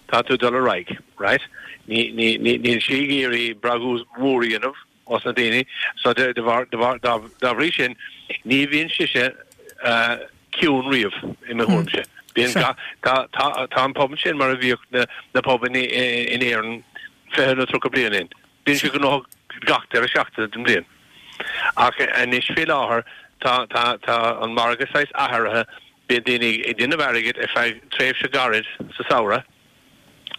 tá tú ag dul ar aghaidh, right? Ní ní ní níl sí ag iarraidh brabús mór a dhéanamh os na daoine so de de bharr de bharr dá dá bhrí sin ní bhíonn sise ciúin riamh i mo thuairimse. Bíonn Sea. gach tá tá tá an pub sin mar a bhíodh na na pubanna in Éirinn fiche nó tríocha bliain ó shin. Bíonn sé gnóthach gach deireadh seachtaine den bhliain. Ach anois faoi láthair tá tá tá an margadh saghas athraithe, bíonn daoine ag déanamh airgid ar feadh tréimhse gairid sa samhradh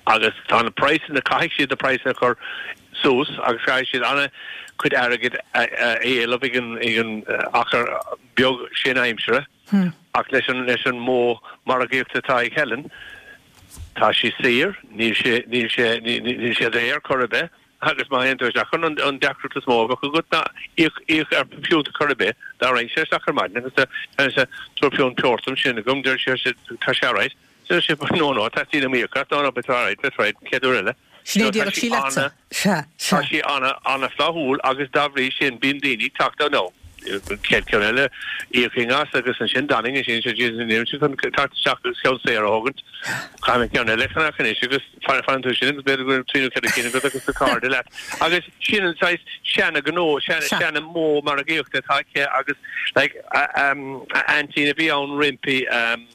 Agus tá na praghsanna, caithfidh siad na praghsanna a chur suas agus caithfidh siad an-chuid airgid a éileamh ag an ag an achar beag sin aimsire. Ach leis an leis an modh margaíochta atá ag Helen, tá sí saor, níl sé níl sé níl sé daor chor ar bith agus má théann tú isteach an an deacracht is mó a bheadh agat ná íoc íoc ar phiúnt chor ar bith dá raghainn isteach ar maidin agus tá tabhair piúnt pure dom sin agam deir sé tá sé alright. Deir sé no no teastaíonn uaim íoc as no no beidh tú alright that's right chéad uair eile. Sin é a déarfadh sí leatsa. Sea, Tá sea. sí ana ana flaithiúil agus dá bhrí sin bíonn daoine ag teacht ann nó chéad ceann eile íocfainn as agus ansin d'fhanfainn ansin sé Jesus níl sé chun teacht isteach agus ceann saor a thógaint. Caithfidh mé ceann eile a cheannach anois agus fanann tú sin agus b'fhéidir go bhfuil trí nó ceithre cinn agat agus do chairde leat. Agus sin an saghas seana gnó, seana Sea. seana modh margaíochta atá aici agus like a um a aintín a bhí ann roimpi um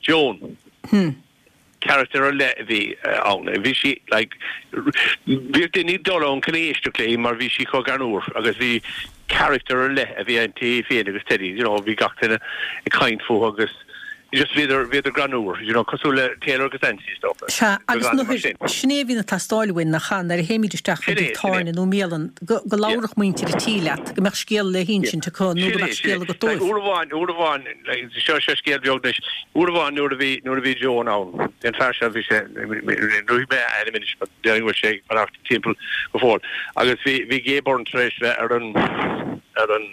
Joan. Character ar leith a bhí ann. Bhí sí like bhíodh daoine ag dul ann chun éisteacht léi mar bhí sí chomh greannmhar agus bhí character ar leith a bhí inti féin agus Teddy, you know, bhí gach duine ag caint fúthu agus just bhíodar bhíodar greannmhar, you know, cosúil le Taylor agus Angie is dócha. Sea, agus Go mar sin. sin é a bhíonn ag teastáil uainn nach ea, nuair a théimid isteach Sin go é, dtí sin é. tábhairne nó mbialann, go go labharfadh muintir an tí leat, go mbeadh scéal le hinsint acu nó go mbeadh scéal agat dóibh. Uair amháin, uair amháin, seo seo scéal beag anois, uair amháin nuair a bhí nuair a bhí Joan ann, an fear seo bhí sé luaigh mé a ainm anois, but déarfainn go bhfuil sé ag fanacht timpeall go fóill. Agus bhí bhí Gay Byrne tar éis bheith ar an ar an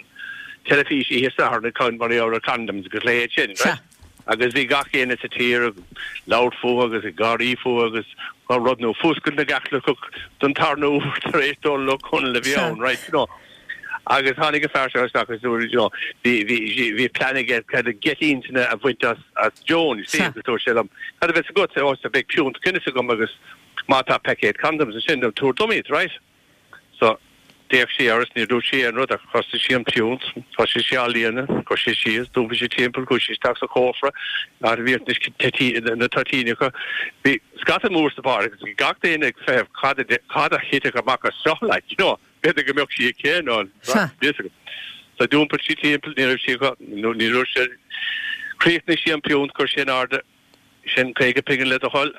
teilifís oíche Sathairn ag caint mar gheall ar condoms agus leithéid sin, right? Agus bhí gach éinne sa tír ag labhairt fúthu agus ag gáirí fúthu agus á rud nó Fuascailt na gCaitliceach don tarna huair tar éis Dónal Ó Conaill a bhí Sea. ann, right, you know. Agus tháinig an fear seo isteach agus dúirt, you know, bhí bhí bhí plean aige cad a geit intinne a bhaint as as Joan, you see, Sea. agus dúirt sé liom, cad a bheas agat? Ó, so beidh piúnt Guinness agam agus má tá paicéad condoms ansin, tabhair dom iad, right? So d'fhéach sí air is níor dúirt sí aon rud ach thosaigh sí an piúnt, thosaigh sí á líonadh, chuir sí síos, d'iompaigh sí timpeall, chuaigh sí isteach sa chófra, áit a bhíodh na na toitíní acu. Bhí scata mór sa bheár agus bhí gach duine ag feitheamh cad a cad a thitfeadh amach as seo like, you know, b'fhéidir go mbeadh sí aici nó Sea. bhí fhios agam. So d'iompaigh sí timpeall, ní raibh sí nó ní raibh sé chríochnaigh sí an piúnt, chuir sí in airde sin caoga pingin le do thoil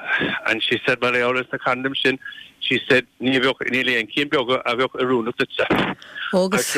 and she said mar gheall ar na condoms sin she said ní bheadh níl aon cinn beaga a bheadh oiriúnach duitse. Agus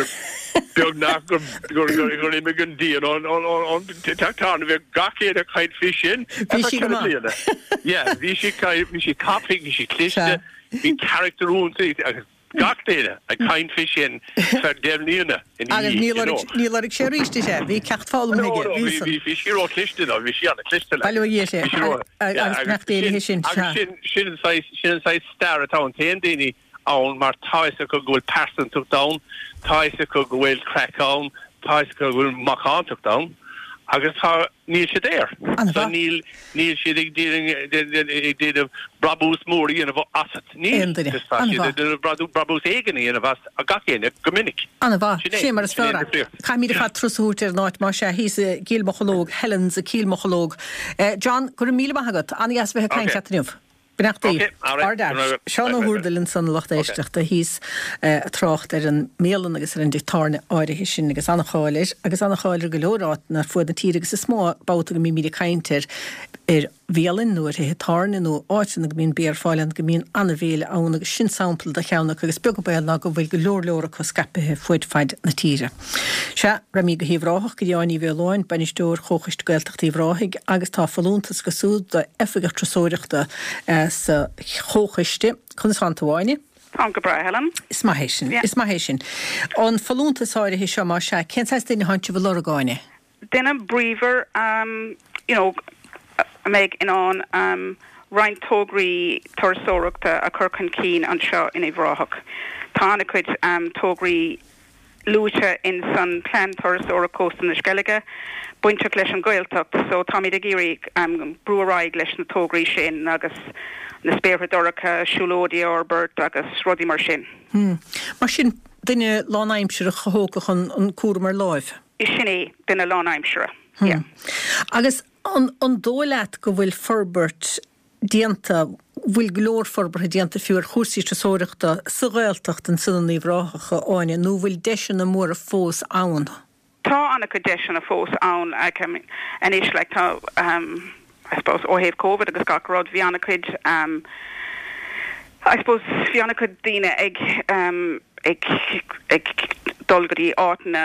Beag nach gur gur gur gur imigh an díon an an an an teachtáin bheith gach éinne ag caint faoi sin. Bhí sí go maith. Yeah, bhí sí bhí sí tapaidh, bhí sí cliste, Sea. bhí character inti agus gach duine ag caint faoi sin ar feadh deich mbliana ina Agus dhiaidh, ní you know. lorg ní lorg sé arís sé, bhí ceacht foghlamtha No, aige, no, bhí bhí san. bhí bhí sí ró-chliste ná, bhí sí an-chliste Bail ó Dhia sé, Bhí sí ró- agus yeah, nach déanaí sin, agus sea. sin sin an saghas sin an saghas stair atá ann téann daoine ann mar tá fhios acu go bhfuil pearsantacht ann, tá fhios acu go bhfuil craic ann, tá fhios acu go bhfuil macántacht ann, agus tá níl siad air. An-mhaith. So níl níl siad ag déanamh ag déanamh brabús mór a dhéanamh asat. Níl Aon duine. Just tá siad An-mhaith. ag déanamh brabú- brabús éigin a dhéanamh as a gach éinne go minic. An-mhaith, Sin é, sé mar is sin é fearr. an difríocht. Caithfimid ar fad turas a thabhairt ar an áit mar sé thíos i gCill Mocheallóg, Helen's i Cill Mocheallóg. Eh, John, go raibh míle maith agat, an-dheas bheith ag caint Okay. leat inniu. Beannachtaí. Okay, all right. Ard Go raibh- Seán Ó Right, right, hÚrdail ansan lucht éisteachta thíos eh, ag trácht ar an mbialann agus ar an dteach tábhairne áirithe sin agus an-cháil air agus an-cháil ar go leor áiteanna ar fud na tíre agus is mó babhta go mbímid ag caint ar ar bhialann nó ar thithe tábhairne nó áiteanna go mbíonn bia ar fáil ann go mbíonn an-bhéile ann agus sin sampla de cheann acu agus beag an baol ná go bhfuil go leor leor acu scaipthe fud fad na tíre. Sea, rachaimid go hUíbh Ráthach go dtí Áine Ní Mhaoláin, bainisteoir Chomhchoiste Gaeltachta Uíbh Ráthaigh agus tá folúntas go súd d'oifigeach turasóireachta eh, sa chomhchoiste. Conas tánn tú Áine? Tá go breá Helen. Is maith é sin, Yeah. is maith é sin. An folúntas áirithe seo mar sea, cén saghas duine atánn sibh a lorg Áine? Duine bríomhar um, you know, a mbeidh in ann um, roinnt tograí turasóireachta a chur chun cinn anseo in Uíbh Ráthach. Tá an-chuid um, tograí luaite in san plean turasóireachta Cósta na Sceilge, bainteach leis an Gaeltacht, so táimid ag iarraidh um, brú ar aghaidh leis na tograí sin agus na spéartha dorcha, siúlóidí a fhorbairt agus rudaí mar sin. Hmm. Mar sin duine lánaimseartha a thógfadh an, an cúram ar láimh. Is sin é duine lánaimseartha. Hmm. Yeah. Agus an, an dóigh leat go bhfuil forbairt déanta bhfuil go leor forbartha déanta fiú ar chúrsaí turasóireachta sa Ghaeltacht ansan in Uíbh Ráthach Áine nó bhfuil deiseanna móra fós ann. Tá an-chuid deiseanna fós ann like, I mean, anois like, tá um, I suppose ó thaobh COVID agus gach rud bhí an-chuid um, I suppose bhí an-chuid daoine ag um, ag ag dul go dtí áiteanna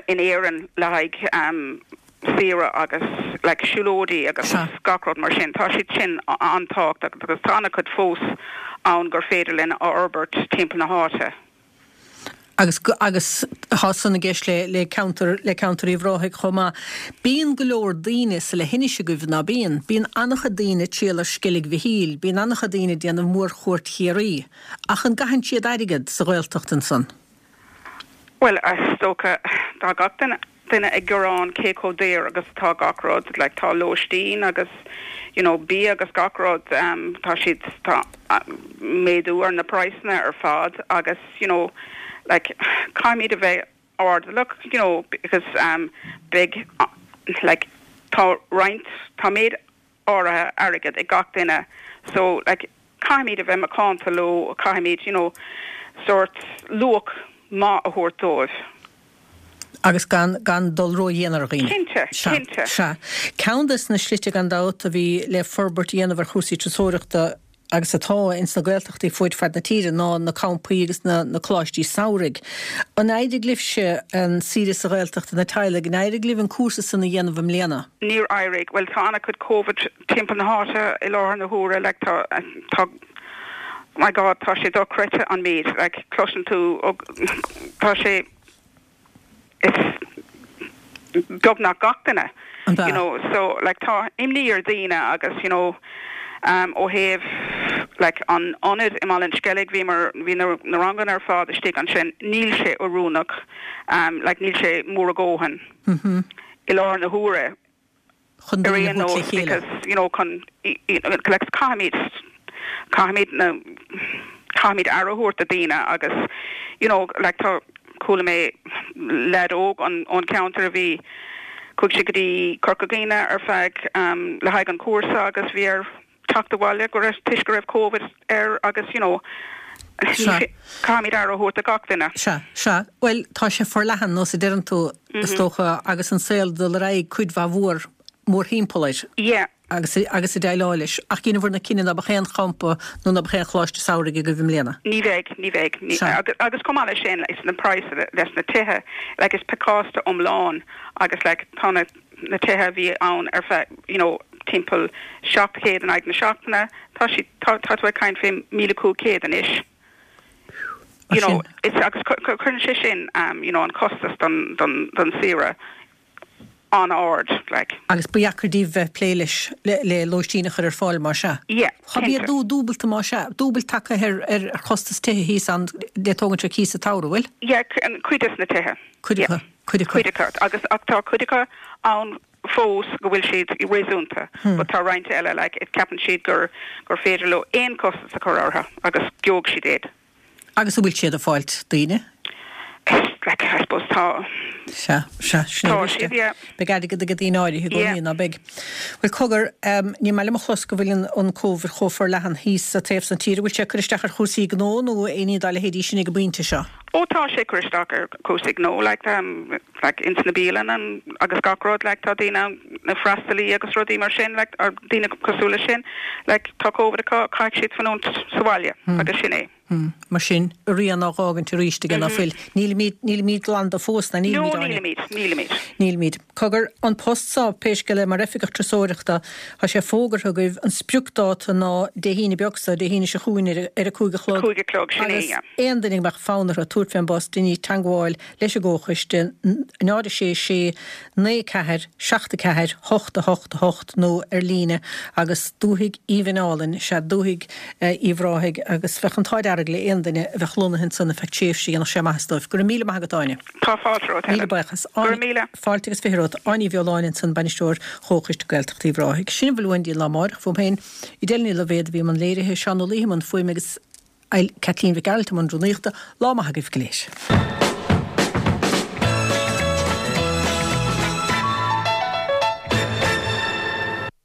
in Éirinn le haghaidh um, saoire agus like siúlóidí agus gach rud mar sin. Tá siad sin an-tábhachtach agus tá an-chuid fós ann gur féidir linn a fhorbairt timpeall na háite. Agus agus tá san i gceist le le ceantar le ceantar Uíbh Ráthaigh chomh maith. Bíonn go leor daoine sa leithinis agaibh ná bíonn, bíonn an-chuid daoine ag triall ar Sceilg Mhichíl, bíonn an-chuid daoine ag déanamh mórchuairt Chiarraí. Ach an gcaitheann siad airgead sa Ghaeltacht ansan? Well is dócha tá gach duine duine ag gearán cé chomh daor agus tá gach rud like tá lóistín agus you know bia agus gach rud um, tá siad tá uh, méadú ar na praghsanna ar fad agus you know like caithfimid a bheith airdeallach you know because um big uh, like tá roinnt tá méid áirithe airgead ag gach duine so like caithfimid a bheith macánta leo caithfimid you know sort luach maith a thabhairt dóibh. Agus gan gan dul ródhian ar dhaoine. Cinnte, cinnte. Sea. Ceann des na slite gan dabht a bhí le forbairt a dhéanamh ar chúrsaí turasóireachta agus atá ins na Gaeltachtaí fud fad na tíre ná na campaí agus na, na coláistí samhraidh. An éirigh libhse an saoire sa Ghaeltacht na teaghlaigh, an éirigh libh an cúrsa san a dhéanamh i mbliana? Níor éirigh, well tá an-chuid COVID timpeall na háite i láthair na huaire like tá tá my God tá sé dochreidte an méid like cloiseann tú ó, tá sé is beagnach gach duine you know so like tá imní ar daoine agus you know um, ó thaobh like an ionad i mBaile an Sceilg bhí mar bhí na, na ranganna ar fad istigh ansin níl sé oiriúnach um, like níl sé mór a dhóthain mm -hmm. i láthair na huaire Chun ar daoine aon a thabhairt nós le chéile. because you know chun like caithfimid caithfimid na caithfimid aire a thabhairt do daoine agus you know like tá chuala mé leaid óg an ón ceantar a bhí chuaigh sé go dtí Corca Dhuibhne ar feadh um, le haghaidh an cúrsa agus bhí air teacht abhaile go raibh toisc go raibh COVID air agus you know caithfimid aire a thabhairt do gach duine. Sea, sea. Well tá sé forleathan nó sa deireann tú is dócha agus an saol dul ar aghaidh cuid mhaith mhór mórthimpeall air. Yeah. Agus agus ag déileáil leis. Ach cén bhur na cinenne ná beidh aon champa nó ná beidh aon choláiste samhraidh agaibh i mbliana. Ní bheidh, ní bheidh. Ní, agus, agus chomh maith leis sin is na price leis na tithe, like is pacáiste iomlán agus like tá na na tithe a bhí ann ar feadh you know timpeall seacht chéad in aghaidh na seachtaine, tá si tá tá tú ag caint fé míle cúig chéad anois. You know, it's agus cuireann sé sin um, you know, an costas don don don saoire an-ard like. Agus ba dheacair daoibh bheith plé leis le, le lóistín a chur ar fáil mar sea. Yeah, Tá méadú dúbailte mar sea, dúbailt tagtha ar ar ar chostas tithe thíos ann le tógann sé cíosa tsamhraidh bhfuil? Yeah, cuid des na tithe. Cuid acu, cuid acu. Cuid acu agus ach tá cuid acu ann fós go bhfuil siad réasúnta, Hmm. but tá roinnt eile like, it ceapann siad gur gur féidir leo aon costas a chur orthu agus gheobhaidh siad iad. Agus an bhfuil siad ag fáilt daoine? Like, I suppose tá Sea, sea, sin Tá é siad, yeah. Beidh airgead ag daoine áirithe i gcónaí ná beidh. Bhuel cogar um, ní maith liom a chlos go bhfuil an, an COVID chomh forleathan thíos sa taobh san tíre, bhfuil sé cur isteach ar chúrsaí gnó nó aon ní dá leithéidí sin ag an bpointe seo. Ó tá sé cur isteach ar chúrsaí gnó like um, like ins na bialanna an, agus gach rud like tá daoine na freastalaí agus rudaí mar sin like ar daoine cosúil leis sin like tá COVID acu caithfidh siad fanúint sa bhaile Hmm. agus sin é. Hmm. Mar sin rian á fhágaint arís aige ná fuil. Nílimid nílimid glan de fós na No nílimid Áine. nílimid, nílimid. Nílimid. Cogar an post seo pé scéal é mar oifigeach turasóireachta tá sé fógartha agaibh an spriocdháta ná Dé hAoine beag seo Dé hAoine seo chugainn ar ar a cúig a chlog. Cúig a chlog sin é, Agus yeah. aon duine a mbeadh fonn orthu tabhairt fén bpost déan teagmháil leis an gcomhchoiste náid a sé sé naoi ceathair seacht a ceathair hocht a hocht a hocht nó ar líne agus dúthaigh aoibhinn álainn sea dúthaigh Uíbh Ráthaigh agus bheadh an t-ádh dearg le aon duine a bheadh lonnaithe ansan ar feadh tréimhse dhéanfadh sé maitheas dóibh. Go raibh míle maith agat Áine. Tá fáilte romhat Míle buíochas. Go raibh míle. Fáilte agus fiche romhat Áine Ní Bheoláin ansan bainisteoir Chomhchoiste Gaeltacht Uíbh Ráthaigh. Sin a bhfuil uainn lá amárach fúm féin Edel Ní Loibhéad a bhí i mbun léirithe Seán Ó Laoithe i mbun fuaime agus Kathleen Mhic Gearailt i mbun rúnaíochta lá maith agaibh go léir.